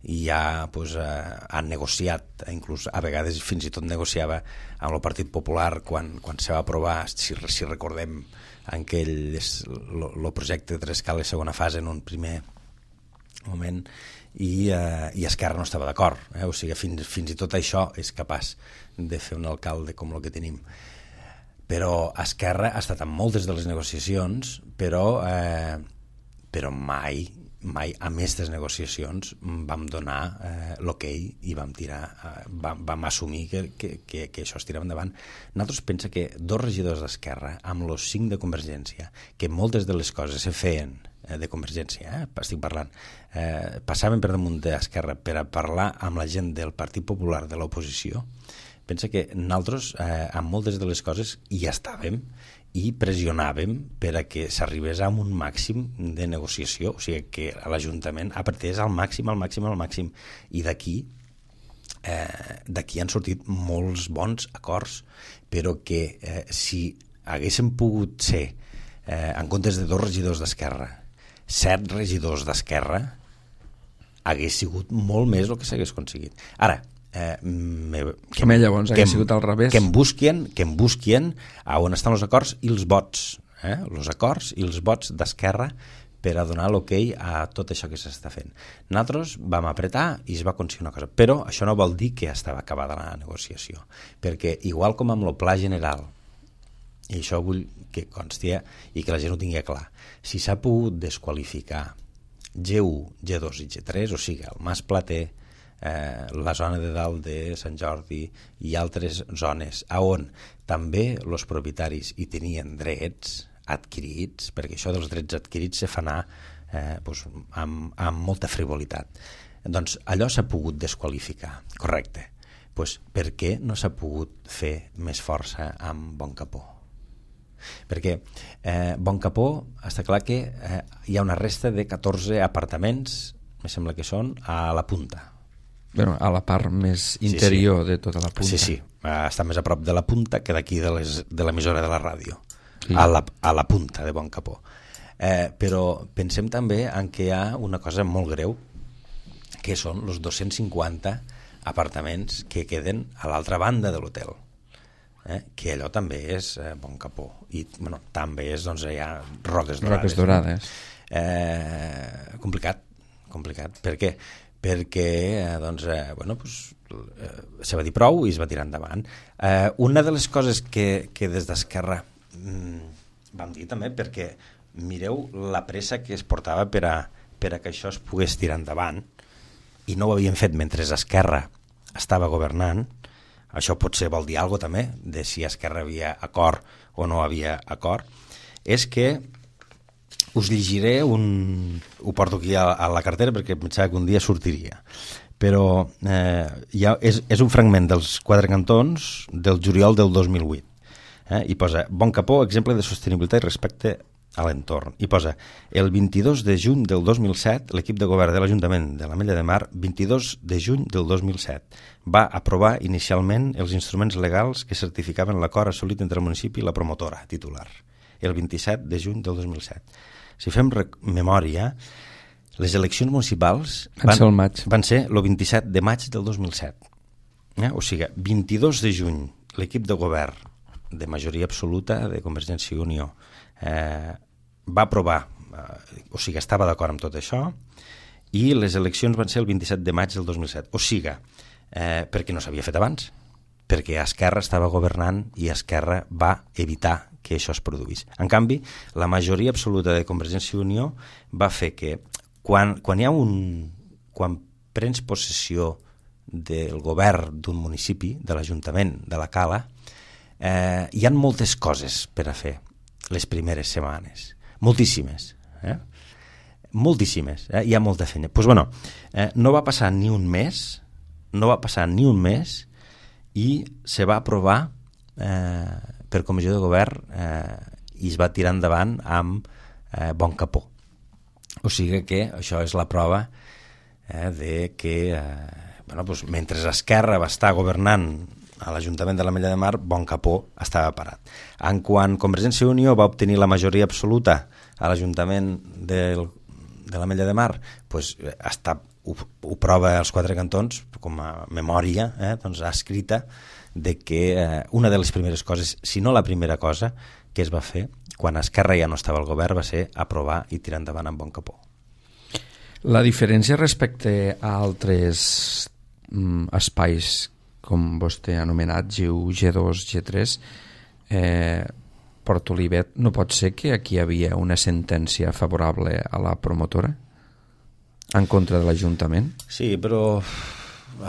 i ja doncs, eh, ha negociat, inclús a vegades fins i tot negociava amb el Partit Popular quan, quan se va aprovar, si, si recordem, en aquell el projecte de Trescales segona fase en un primer moment, i, eh, i Esquerra no estava d'acord, eh? O sigui, fins, fins i tot això és capaç de fer un alcalde com el que tenim. Però Esquerra ha estat en moltes de les negociacions, però, eh, però mai, mai a aquestes negociacions vam donar eh, l'ok i vam tirar, eh, vam, vam assumir que, que, que, que això es tirava endavant. Nosaltres pensa que dos regidors d'Esquerra amb els cinc de Convergència, que moltes de les coses se feien eh, de Convergència, eh, estic parlant, eh, passaven per damunt d'Esquerra per a parlar amb la gent del Partit Popular de l'oposició. Pensa que nosaltres eh, amb moltes de les coses hi estàvem i pressionàvem per a que s'arribés a un màxim de negociació, o sigui que l'Ajuntament apretés al màxim, al màxim, al màxim, i d'aquí eh, d'aquí han sortit molts bons acords, però que eh, si haguéssim pogut ser, eh, en comptes de dos regidors d'Esquerra, set regidors d'Esquerra, hagués sigut molt més el que s'hagués aconseguit. Ara, Eh, me, que, Home, llavors que, sigut al revés. que em busquien, que em busquien a on estan els acords i els vots, eh? Els acords i els vots d'Esquerra per a donar l'ok a tot això que s'està fent. Nosaltres vam apretar i es va aconseguir una cosa, però això no vol dir que estava acabada la negociació, perquè igual com amb el pla general, i això vull que consti i que la gent ho tingui clar, si s'ha pogut desqualificar G u, G dos i G tres, o sigui, el Mas Plater, Eh, la zona de dalt de Sant Jordi i altres zones on també els propietaris hi tenien drets adquirits, perquè això dels drets adquirits se fa anar eh, doncs, amb, amb molta frivolitat. Doncs allò s'ha pogut desqualificar, correcte. Doncs per què no s'ha pogut fer més força amb Bon Capó? Perquè eh, Bon Capó està clar que eh, hi ha una resta de catorze apartaments, me sembla que són, a la punta. Bueno, a la part més interior sí, sí. de tota la punta. Sí, sí, està més a prop de la punta que d'aquí de, les, de l'emissora de la ràdio, sí. a, la, a la punta de Bon Capó. Eh, però pensem també en que hi ha una cosa molt greu, que són els dos-cents cinquanta apartaments que queden a l'altra banda de l'hotel, eh, que allò també és eh, Bon Capó. I bueno, també és, doncs, hi ha Roques Dorades. Roques Dorades. Eh, complicat, complicat. Per què? perquè doncs, eh, bueno, pues, eh, se va dir prou i es va tirar endavant. Eh, una de les coses que, que des d'Esquerra mm, vam dir també, perquè mireu la pressa que es portava per a, per a que això es pogués tirar endavant, i no ho havien fet mentre Esquerra estava governant. Això potser vol dir alguna cosa també, de si Esquerra havia acord o no havia acord, és que us llegiré un... ho porto aquí a, a la cartera perquè pensava que un dia sortiria, però eh, ha, és, és un fragment dels Quatre Cantons del juliol del dos mil vuit, eh, i posa: Bon Capó, exemple de sostenibilitat i respecte a l'entorn. I posa, el vint-i-dos de juny del dos mil set, l'equip de govern de l'Ajuntament de l'Ametlla de Mar, vint-i-dos de juny del dos mil set, va aprovar inicialment els instruments legals que certificaven l'acord assolit entre el municipi i la promotora titular, el vint-i-set de juny del dos mil set. Si fem memòria, les eleccions municipals van, van, ser, van ser el vint-i-set de maig del dos mil set. Eh? O sigui, vint-i-dos de juny, l'equip de govern de majoria absoluta de Convergència i Unió eh, va aprovar, eh, o sigui, estava d'acord amb tot això, i les eleccions van ser el vint-i-set de maig del dos mil set. O sigui, eh, perquè no s'havia fet abans, perquè Esquerra estava governant i Esquerra va evitar que això es produís. En canvi, la majoria absoluta de Convergència i Unió va fer que quan, quan hi ha un... quan prens possessió del govern d'un municipi, de l'Ajuntament de la Cala, eh, hi ha moltes coses per a fer les primeres setmanes. Moltíssimes. Eh? Moltíssimes. Eh? Hi ha molta feina. Doncs pues, bueno, eh, no va passar ni un mes, no va passar ni un mes i se va aprovar eh, per comissió de govern eh, i es va tirar endavant amb eh, bon capó. O sigui que això és la prova eh, de que eh, bueno, doncs, mentre Esquerra va estar governant a l'Ajuntament de l'Ametlla de Mar, bon capó estava parat. En quan Convergència i Unió va obtenir la majoria absoluta a l'Ajuntament del, de l'Ametlla de Mar, doncs, està, ho, ho prova als quatre cantons com a memòria eh, doncs, escrita de que eh, una de les primeres coses, si no la primera cosa que es va fer quan Esquerra ja no estava al govern va ser aprovar i tirar endavant amb bon capó. La diferència respecte a altres mm, espais com vostè ha anomenat, G u, G dos, G tres, eh, Port Olivet, no pot ser que aquí hi havia una sentència favorable a la promotora en contra de l'Ajuntament? Sí, però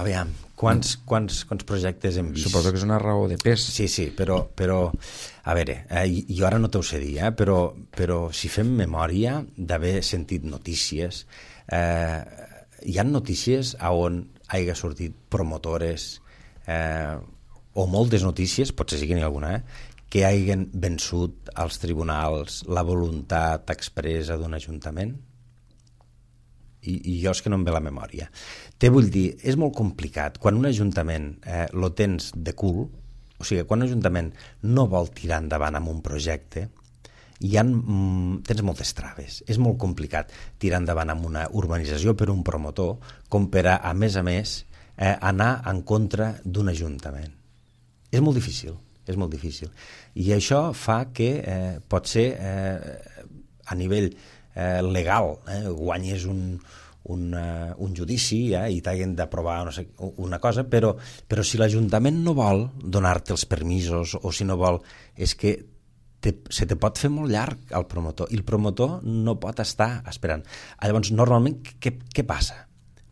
aviam, quants, quants, quants projectes hem vist? Suposo que és una raó de pes. Sí, sí, però, però a veure, eh, jo ara no t'ho sé dir, eh, però, però si fem memòria d'haver sentit notícies, eh, hi ha notícies on hagi sortit promotores eh, o moltes notícies, potser sí que n'hi ha alguna, eh, que hagin vençut als tribunals la voluntat expressa d'un ajuntament. I, i jo és que no em ve la memòria. Te vull dir, és molt complicat. Quan un ajuntament eh, lo tens de cul, o sigui, quan un ajuntament no vol tirar endavant amb un projecte, hi ha, mm, tens moltes traves. És molt complicat tirar endavant amb una urbanització per un promotor com per a, a més a més, eh, anar en contra d'un ajuntament. És molt difícil, és molt difícil. I això fa que eh, pot ser eh, a nivell eh, legal, eh, guanyes un, un, uh, un judici eh, i t'hagin d'aprovar no sé, una cosa, però, però si l'Ajuntament no vol donar-te els permisos o si no vol, és que te, se te pot fer molt llarg al promotor i el promotor no pot estar esperant. Llavors, normalment, què, què passa?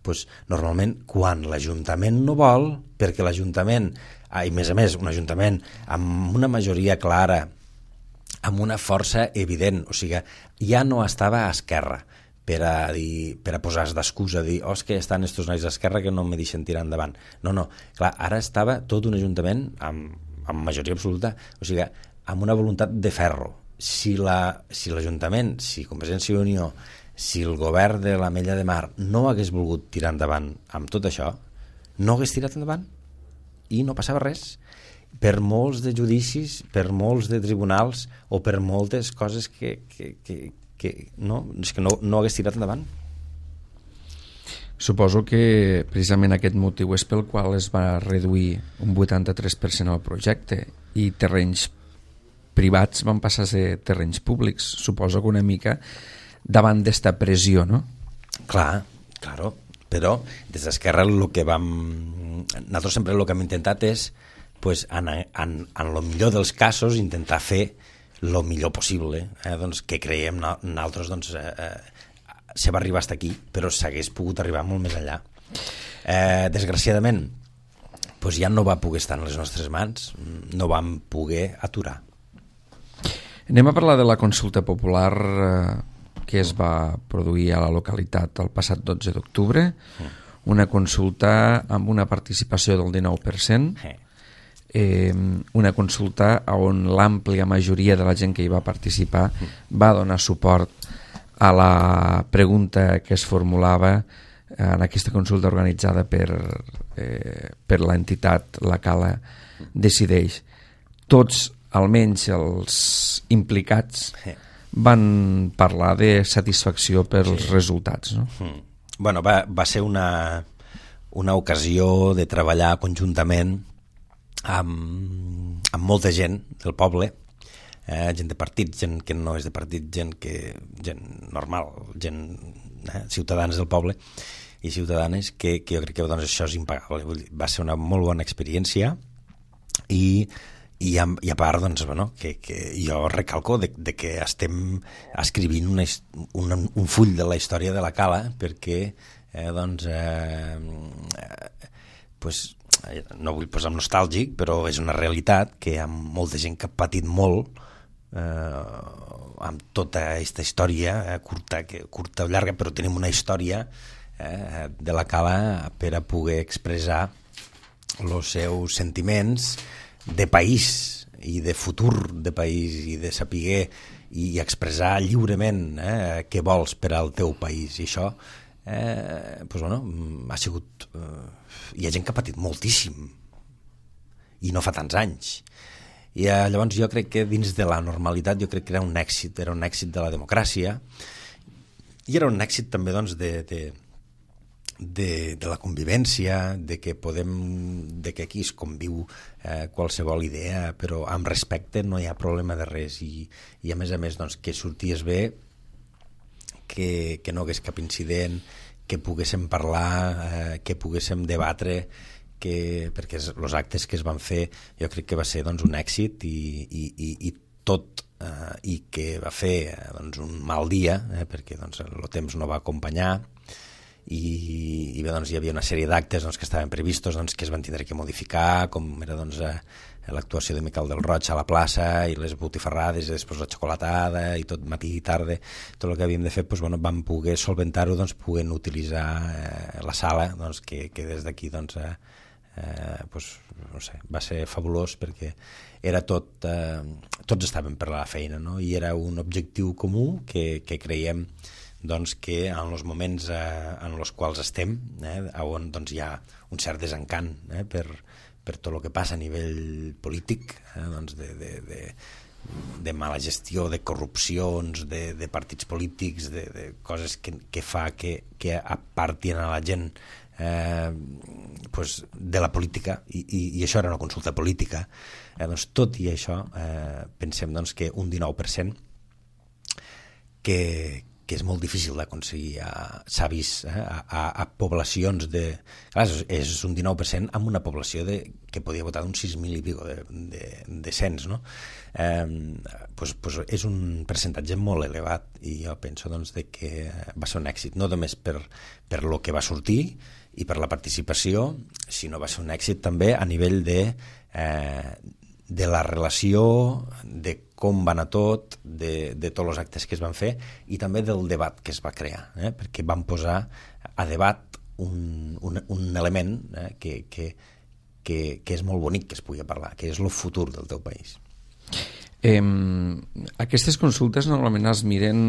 Pues, normalment, quan l'Ajuntament no vol, perquè l'Ajuntament, ah, i més a més, un Ajuntament amb una majoria clara, amb una força evident, o sigui, ja no estava a Esquerra per a, dir, per a posar d'excusa, dir, oh, és que estan estos nois d'Esquerra que no me deixen tirar endavant. No, no, clar, ara estava tot un Ajuntament amb, amb majoria absoluta, o sigui, amb una voluntat de ferro. Si l'Ajuntament, la, si, si Convergència i Unió, si el govern de l'Ametlla de Mar no hagués volgut tirar endavant amb tot això, no hagués tirat endavant i no passava res. Per molts de judicis, per molts de tribunals o per moltes coses que, que, que, que, no, és que no, no hagués tirat endavant. Suposo que precisament aquest motiu és pel qual es va reduir un vuitanta-tres per cent al projecte i terrenys privats van passar a ser terrenys públics. Suposo que una mica davant d'esta pressió, no? Clar, claro, però des d'Esquerra el que vam... Nosaltres sempre el que hem intentat és pues, en, en, en el millor dels casos intentar fer el millor possible, eh? Doncs, que creiem nosaltres doncs, eh, se va arribar fins aquí, però s'hagués pogut arribar molt més enllà. Eh, desgraciadament pues, ja no va poder estar en les nostres mans, no vam poder aturar. Anem a parlar de la consulta popular eh, que es va produir a la localitat el passat dotze d'octubre, una consulta amb una participació del dinou per cent. eh, una consulta on l'àmplia majoria de la gent que hi va participar va donar suport a la pregunta que es formulava en aquesta consulta organitzada per, eh, per l'entitat La Cala Decideix. Tots, almenys els implicats, van parlar de satisfacció pels sí. resultats. No? Mm. Bueno, va, va ser una, una ocasió de treballar conjuntament amb, amb molta gent del poble, eh, gent de partit, gent que no és de partit, gent, que, gent normal, gent, eh, ciutadans del poble i ciutadanes, que, que jo crec que doncs, això és impagable. Vull dir, va ser una molt bona experiència i, i, a, i a part doncs, bueno, que, que jo recalco de, de que estem escrivint una, un, un full de la història de la Cala perquè eh, doncs, eh, eh, pues, no vull posar nostàlgic, però és una realitat que hi ha molta gent que ha patit molt eh, amb tota aquesta història eh, curta, que, curta o llarga, però tenim una història eh, de la Cala per a poder expressar els seus sentiments de país i de futur de país i de saber i expressar lliurement eh, què vols per al teu país. I això eh, pues, bueno, ha sigut... Eh, hi ha gent que ha patit moltíssim i no fa tants anys. I eh, llavors jo crec que dins de la normalitat jo crec que era un èxit, era un èxit de la democràcia i era un èxit també doncs, de, de, de, de la convivència, de que podem, de que aquí es conviu eh, qualsevol idea, però amb respecte no hi ha problema de res i, i a més a més doncs, que sorties bé, que, que no hagués cap incident, que poguéssim parlar, eh, que poguéssim debatre, que, perquè els actes que es van fer jo crec que va ser doncs, un èxit i, i, i, i tot eh, i que va fer eh, doncs, un mal dia eh, perquè doncs, el temps no va acompanyar i, i bé, doncs, hi havia una sèrie d'actes doncs, que estaven previstos doncs, que es van tindre que modificar, com era doncs, eh, l'actuació de Miquel del Roig a la plaça i les botifarrades i després la xocolatada i tot matí i tarda, tot el que havíem de fer doncs, bueno, vam poder solventar-ho doncs, podent utilitzar eh, la sala doncs, que, que des d'aquí doncs, eh, eh, doncs, no sé, va ser fabulós perquè era tot, eh, tots estaven per la feina, no? I era un objectiu comú que, que creiem doncs, que en els moments eh, en els quals estem, eh, on doncs, hi ha un cert desencant eh, per, per tot el que passa a nivell polític, eh, doncs de, de, de, de mala gestió, de corrupcions, de, de partits polítics, de, de coses que, que fa que, que apartin a la gent eh, pues, de la política, i, i, i això era una consulta política. Eh, doncs, tot i això, eh, pensem doncs, que un dinou per cent que, que és molt difícil d'aconseguir, s'ha vist eh, a, a, a poblacions de... Clar, és un dinou per cent amb una població de, que podia votar d'uns sis mil i pico de, de, de cents, no? Eh, pues, pues és un percentatge molt elevat i jo penso doncs, de que va ser un èxit, no només per, per lo que va sortir i per la participació, sinó va ser un èxit també a nivell de, eh, de la relació, de com va anar tot, de, de tots els actes que es van fer i també del debat que es va crear, eh? Perquè van posar a debat un, un, un element eh? que, que, que, que és molt bonic que es pugui parlar, que és el futur del teu país. Eh, aquestes consultes normalment es miren,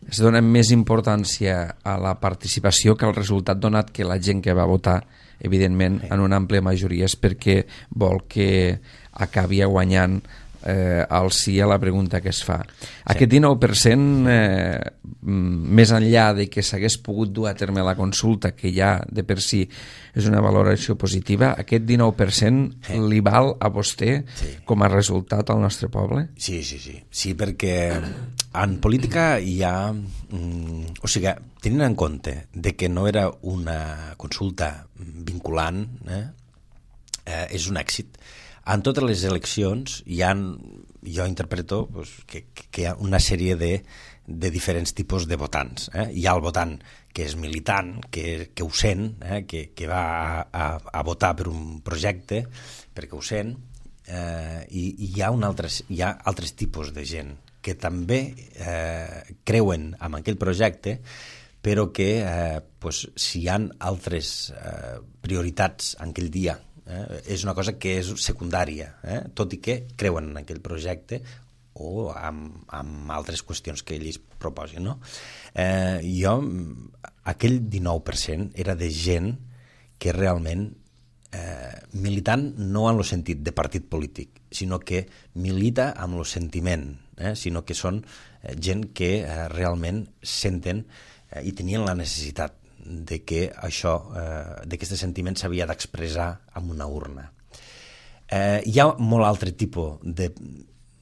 es donen més importància a la participació que al resultat, donat que la gent que va votar, evidentment, en una àmplia majoria és perquè vol que acabi guanyant eh, el sí a la pregunta que es fa. Sí. Aquest dinou per cent, eh, més enllà de que s'hagués pogut dur a terme la consulta, que ja de per si és una valoració positiva, aquest dinou per cent sí. li val a vostè sí. com a resultat al nostre poble? Sí, sí, sí. Sí, perquè en política hi ha... Mm, o sigui, tenint en compte de que no era una consulta vinculant, eh, eh, és un èxit. En totes les eleccions hi ha, jo interpreto pues, que, que hi ha una sèrie de, de diferents tipus de votants. Eh? Hi ha el votant que és militant, que, que ho sent, eh? que, que va a, a, a votar per un projecte, perquè ho sent, eh, i, i hi ha, un altre, hi ha altres tipus de gent que també eh, creuen en aquell projecte, però que eh, pues, si hi ha altres eh, prioritats en aquell dia Eh? És una cosa que és secundària, eh? Tot i que creuen en aquell projecte o amb, amb altres qüestions que ells proposin, no? Eh, jo, aquell dinou per cent era de gent que realment eh, militant no en el sentit de partit polític, sinó que milita amb el sentiment, eh? Sinó que són eh, gent que eh, realment senten eh, i tenien la necessitat de que això, eh, d'aquest sentiment s'havia d'expressar amb una urna. Eh, hi ha molt altre tipus de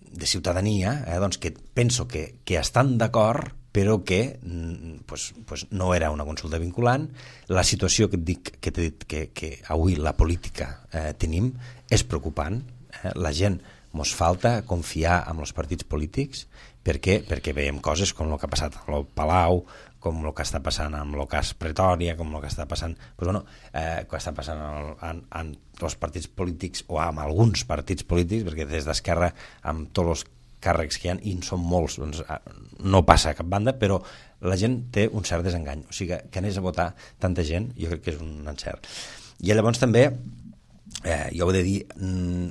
de ciutadania, eh, doncs que penso que, que estan d'acord, però que pues, pues no era una consulta vinculant. La situació que et dic, que t'he dit que, que avui la política eh, tenim és preocupant. Eh? La gent mos falta confiar en els partits polítics perquè, perquè veiem coses com el que ha passat al Palau, com el que està passant amb el cas Pretòria, com el que està passant, pues bueno, eh, que està passant en, en, en els partits polítics o amb alguns partits polítics, perquè des d'Esquerra amb tots els càrrecs que hi ha, i en són molts, doncs, no passa a cap banda, però la gent té un cert desengany. O sigui, que anés a votar tanta gent, jo crec que és un encert. I llavors també, eh, jo ho he de dir,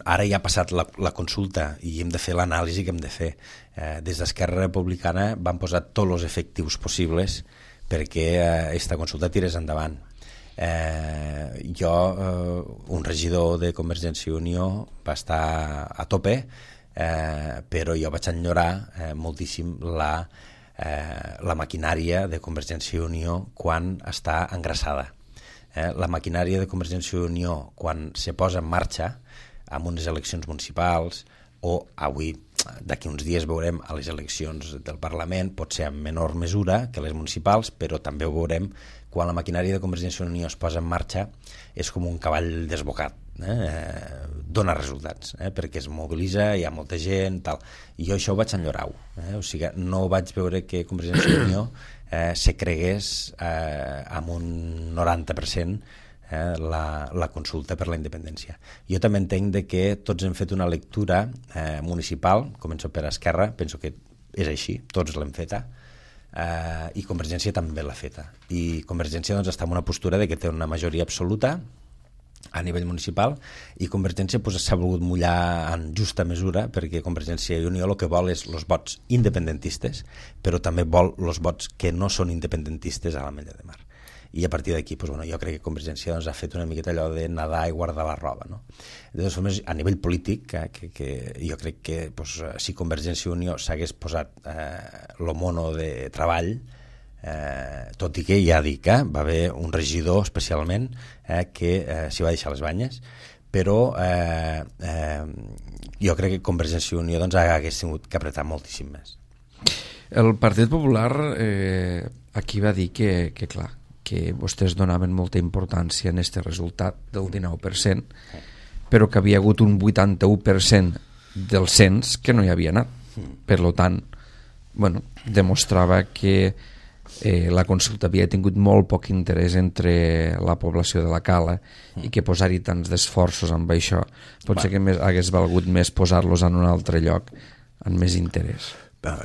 ara ja ha passat la, la consulta i hem de fer l'anàlisi que hem de fer. Eh, des d'Esquerra Republicana van posar tots els efectius possibles perquè aquesta eh, consulta tirés endavant. Eh, jo, eh, un regidor de Convergència i Unió, va estar a tope, eh, però jo vaig enyorar eh, moltíssim la, eh, la maquinària de Convergència i Unió quan està engraçada. Eh, la maquinària de Convergència i Unió quan se posa en marxa amb unes eleccions municipals, o avui, d'aquí uns dies veurem a les eleccions del Parlament, pot ser en menor mesura que les municipals, però també ho veurem quan la maquinària de Convergència i Unió es posa en marxa, és com un cavall desbocat, eh? Dona resultats, eh? Perquè es mobilitza, hi ha molta gent, tal. I jo això ho vaig enyorar-ho, eh? O sigui, no vaig veure que Convergència i Unió eh, se cregués eh, amb un noranta per cent Eh, la, la consulta per la independència. Jo també entenc de que tots hem fet una lectura eh, municipal, començo per Esquerra, penso que és així, tots l'hem feta, eh, i Convergència també l'ha feta. I Convergència doncs, està en una postura de que té una majoria absoluta a nivell municipal, i Convergència pues, s'ha volgut mullar en justa mesura, perquè Convergència i Unió el que vol és els vots independentistes, però també vol els vots que no són independentistes a l'Ametlla de Mar. I a partir d'aquí, pues, bueno, jo crec que Convergència doncs, ha fet una miqueta allò de nedar i guardar la roba, no? De totes formes, a nivell polític, que, que, que jo crec que pues, si Convergència i Unió s'hagués posat eh, lo mono de treball, eh, tot i que ja dic, eh, va haver un regidor especialment eh, que eh, s'hi va deixar les banyes, però eh, eh, jo crec que Convergència i Unió doncs, hagués tingut que apretar moltíssim més. El Partit Popular eh, aquí va dir que, que clar, que vostès donaven molta importància en aquest resultat del dinou per cent, però que havia hagut un vuitanta-u per cent del cens que no hi havia anat. Per tant, bueno, demostrava que eh, la consulta havia tingut molt poc interès entre la població de la Cala i que posar-hi tants d'esforços amb això. Potser que més, hagués valgut més posar-los en un altre lloc amb més interès.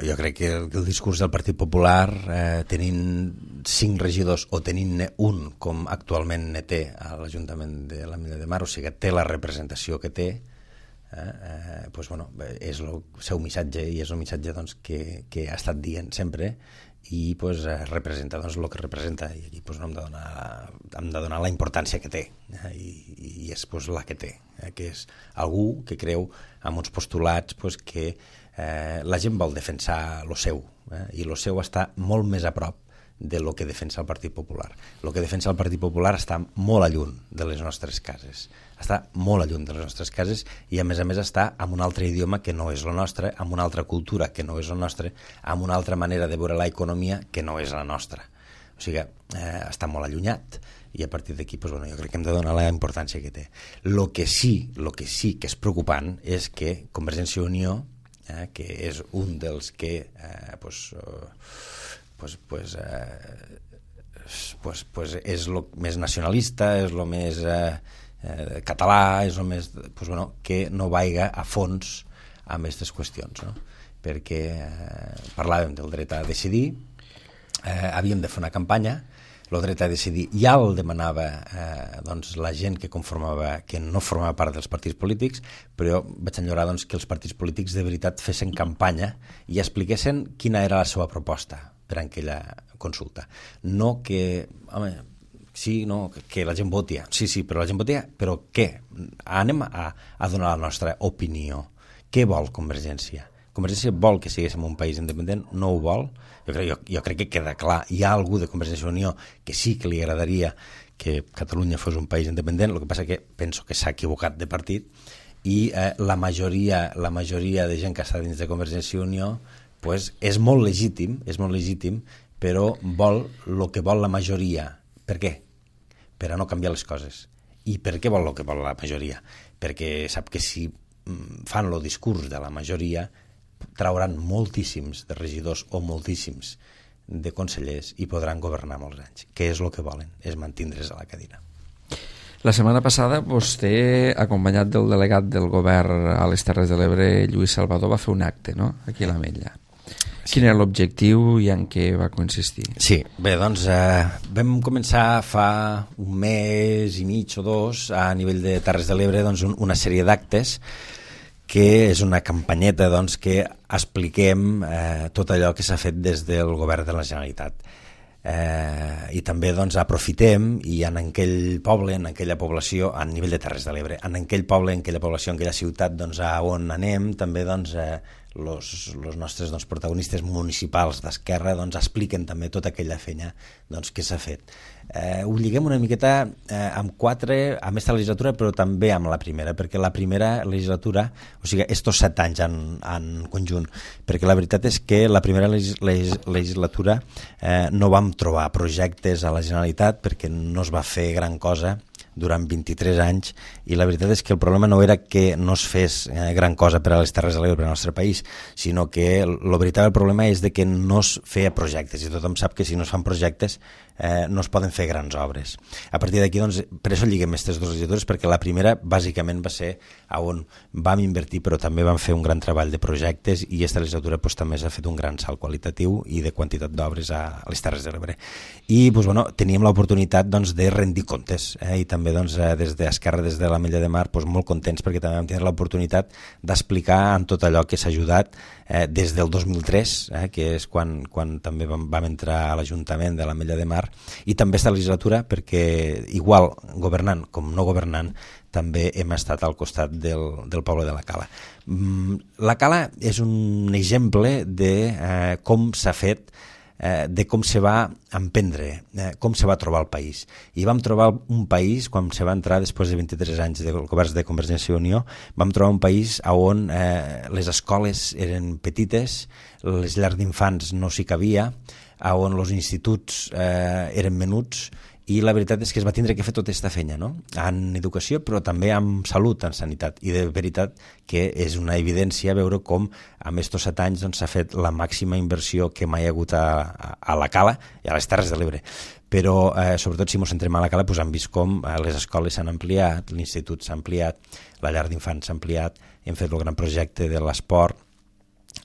Jo crec que el, el discurs del Partit Popular, eh, tenint cinc regidors o tenint-ne un, com actualment ne té a l'Ajuntament de l'Ametlla de Mar, o sigui que té la representació que té, eh, eh, pues, bueno, és el seu missatge i és el missatge doncs, que, que ha estat dient sempre i pues, representa doncs, el que representa i aquí pues, no hem, de donar, hem de donar la importància que té eh, i, i és pues, la que té, eh, que és algú que creu en uns postulats pues, que Eh, la gent vol defensar lo seu eh, i lo seu està molt més a prop de lo que defensa el Partit Popular. El que defensa el Partit Popular està molt a lluny de les nostres cases, està molt a lluny de les nostres cases i a més a més està amb un altre idioma que no és el nostre, amb una altra cultura que no és el nostre, amb una altra manera de veure l'economia que no és la nostra. O sigui, eh, està molt allunyat i a partir d'aquí pues, bueno, jo crec que hem de donar la importància que té. Lo que sí, lo que sí que és preocupant és que Convergència i Unió, Eh, que és un dels que eh, pues, uh, pues, pues, eh, pues, pues és el més nacionalista, és el més eh, eh, català, és el més pues, bueno, que no vaiga a fons amb aquestes qüestions, no? Perquè eh, parlàvem del dret a decidir, eh, havíem de fer una campanya el dret a decidir ja el demanava eh, doncs, la gent que conformava, que no formava part dels partits polítics, però vaig enllorar doncs, que els partits polítics de veritat fessin campanya i expliquessin quina era la seva proposta per a aquella consulta. No que, home, sí, no, que la gent voti, sí, sí, però la gent voti, però què? Anem a, a donar la nostra opinió. Què vol Convergència? Convergència vol que siguéssim un país independent? No ho vol? Jo crec, jo, jo crec que queda clar. Hi ha algú de Convergència i Unió que sí que li agradaria que Catalunya fos un país independent, el que passa que penso que s'ha equivocat de partit i eh, la majoria la majoria de gent que està dins de Convergència i Unió pues, és molt legítim, és molt legítim, però vol el que vol la majoria. Per què? Per a no canviar les coses. I per què vol el que vol la majoria? Perquè sap que si fan el discurs de la majoria trauran moltíssims de regidors o moltíssims de consellers i podran governar molts anys. Què és el que volen? És mantindre's a la cadira. La setmana passada vostè, acompanyat del delegat del govern a les Terres de l'Ebre, Lluís Salvador, va fer un acte, no?, aquí a l'Ametlla. Sí. Quin era l'objectiu i en què va consistir? Sí, bé, doncs eh, vam començar fa un mes i mig o dos a nivell de Terres de l'Ebre doncs, un, una sèrie d'actes que és una campanyeta doncs, que expliquem eh, tot allò que s'ha fet des del govern de la Generalitat. Eh, I també doncs, aprofitem i en aquell poble, en aquella població, a nivell de Terres de l'Ebre, en aquell poble, en aquella població, en aquella ciutat doncs, a on anem, també doncs, eh, los, los nostres doncs, protagonistes municipals d'Esquerra doncs, expliquen també tota aquella feina doncs, que s'ha fet. Eh, ho lliguem una miqueta eh, amb quatre, amb aquesta legislatura, però també amb la primera, perquè la primera legislatura, o sigui, estos set anys en, en conjunt, perquè la veritat és que la primera legis, legis, legislatura eh, no vam trobar projectes a la Generalitat perquè no es va fer gran cosa durant vint-i-tres anys i la veritat és que el problema no era que no es fes eh, gran cosa per a les Terres de l'Ebre, per al nostre país, sinó que el veritable problema és de que no es feia projectes i tothom sap que si no es fan projectes eh, no es poden fer grans obres. A partir d'aquí, doncs, per això lliguem aquestes dues legislatures, perquè la primera bàsicament va ser on vam invertir però també vam fer un gran treball de projectes i aquesta legislatura doncs, també s'ha fet un gran salt qualitatiu i de quantitat d'obres a, a les Terres de l'Ebre. I doncs, bueno, teníem l'oportunitat doncs, de rendir comptes eh, i també també doncs, des d'Esquerra, des de l'Ametlla de Mar, doncs, molt contents perquè també vam tenir l'oportunitat d'explicar en tot allò que s'ha ajudat eh, des del dos mil tres, eh, que és quan, quan també vam, vam entrar a l'Ajuntament de l'Ametlla de Mar, i també esta legislatura perquè igual governant com no governant també hem estat al costat del, del poble de la Cala. La Cala és un exemple de eh, com s'ha fet de com se va emprendre, com se va trobar el país. I vam trobar un país, quan se va entrar després de vint-i-tres anys de governs de Convergència i Unió, vam trobar un país on eh, les escoles eren petites, les llars d'infants no s'hi cabia, on els instituts eh, eren menuts, i la veritat és que es va tindre que fer tota aquesta feina, no? En educació, però també en salut, en sanitat. I de veritat que és una evidència veure com en aquests set anys s'ha doncs, fet la màxima inversió que mai ha hagut a, a, a la Cala i a les Terres de l'Ebre. Però, eh, sobretot, si ens centrem a la Cala, doncs, hem vist com eh, les escoles s'han ampliat, l'institut s'ha ampliat, la llar d'infants s'ha ampliat, hem fet el gran projecte de l'esport,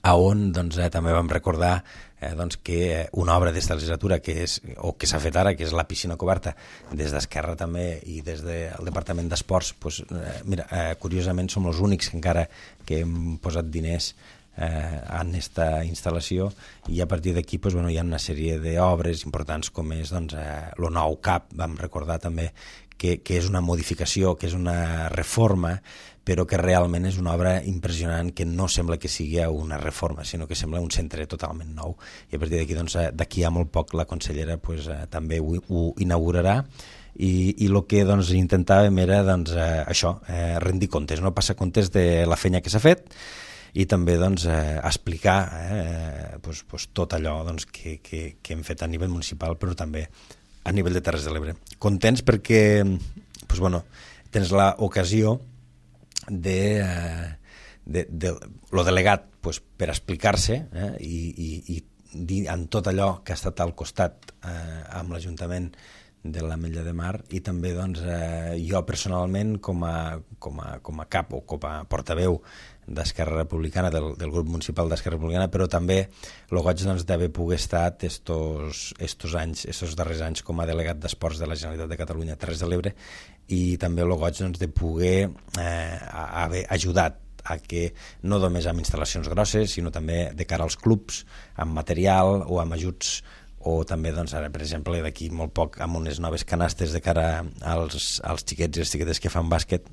a on doncs, eh, també vam recordar eh, doncs, que una obra d'esta legislatura que és, o que s'ha fet ara, que és la piscina coberta, des d'Esquerra també i des del Departament d'Esports, doncs, eh, mira, eh, curiosament som els únics que encara que hem posat diners eh, en aquesta instal·lació i a partir d'aquí doncs, bueno, hi ha una sèrie d'obres importants com és doncs, eh, el nou C A P, vam recordar també que, que és una modificació, que és una reforma, però que realment és una obra impressionant que no sembla que sigui una reforma, sinó que sembla un centre totalment nou. I a partir d'aquí, doncs, d'aquí a molt poc la consellera pues, eh, també ho, ho inaugurarà i, i el que doncs, intentàvem era doncs, eh, això, eh, rendir comptes, no passar comptes de la feina que s'ha fet i també doncs, eh, explicar eh, pues, pues, tot allò doncs, que, que, que hem fet a nivell municipal, però també a nivell de Terres de l'Ebre. Contents perquè pues, bueno, tens l'ocasió de, de, de lo delegat pues, per explicar-se eh, i, i, i dir en tot allò que ha estat al costat eh, amb l'Ajuntament de l'Ametlla de Mar, i també doncs, eh, jo personalment com a, com, a, com a cap o com a portaveu d'Esquerra Republicana, del, del grup municipal d'Esquerra Republicana, però també el goig doncs, d'haver pogut estar estos, estos anys, estos darrers anys com a delegat d'Esports de la Generalitat de Catalunya a Terres de l'Ebre, i també el goig doncs, de poder eh, haver ajudat a que no només amb instal·lacions grosses, sinó també de cara als clubs, amb material o amb ajuts, o també, doncs, ara, per exemple, d'aquí molt poc, amb unes noves canastes de cara als, als xiquets i les xiquetes que fan bàsquet,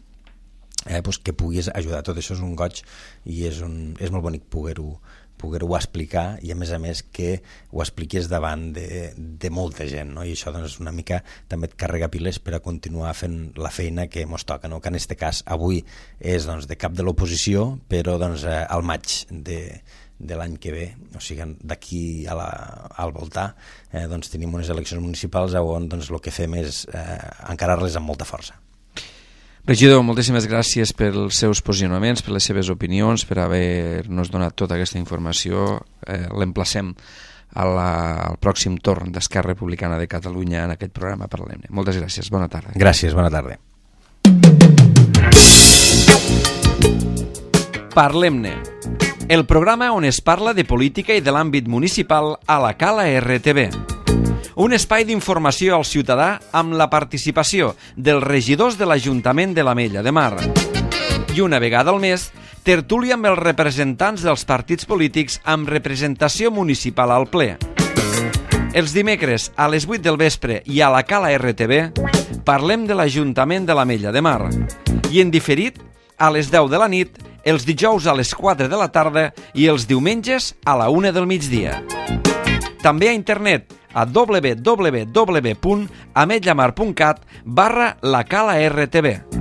eh, doncs que puguis ajudar. Tot això és un goig i és, un, és molt bonic poder-ho poder-ho explicar, i a més a més que ho expliquis davant de, de molta gent, no? I això doncs, una mica també et carrega piles per a continuar fent la feina que mos toca, no? Que en este cas avui és doncs, de cap de l'oposició, però doncs, eh, al maig de, de l'any que ve, o sigui, d'aquí a la, al voltar, eh, doncs, tenim unes eleccions municipals on doncs, el que fem és eh, encarar-les amb molta força. Regidor, moltíssimes gràcies pels seus posicionaments, per les seves opinions, per haver-nos donat tota aquesta informació. Eh, L'emplacem al pròxim torn d'Esquerra Republicana de Catalunya en aquest programa Parlem-ne. Moltes gràcies, bona tarda. Gràcies, bona tarda. Parlem-ne, el programa on es parla de política i de l'àmbit municipal a la Cala R T V. Un espai d'informació al ciutadà amb la participació dels regidors de l'Ajuntament de l'Ametlla de Mar. I una vegada al mes, tertúlia amb els representants dels partits polítics amb representació municipal al ple. Els dimecres a les vuit del vespre i a la Cala R T V parlem de l'Ajuntament de l'Ametlla de Mar. I en diferit, a les deu de la nit, els dijous a les quatre de la tarda i els diumenges a la una del migdia. També a internet a w w w punt ametlamar punt cat barra la cala R T V.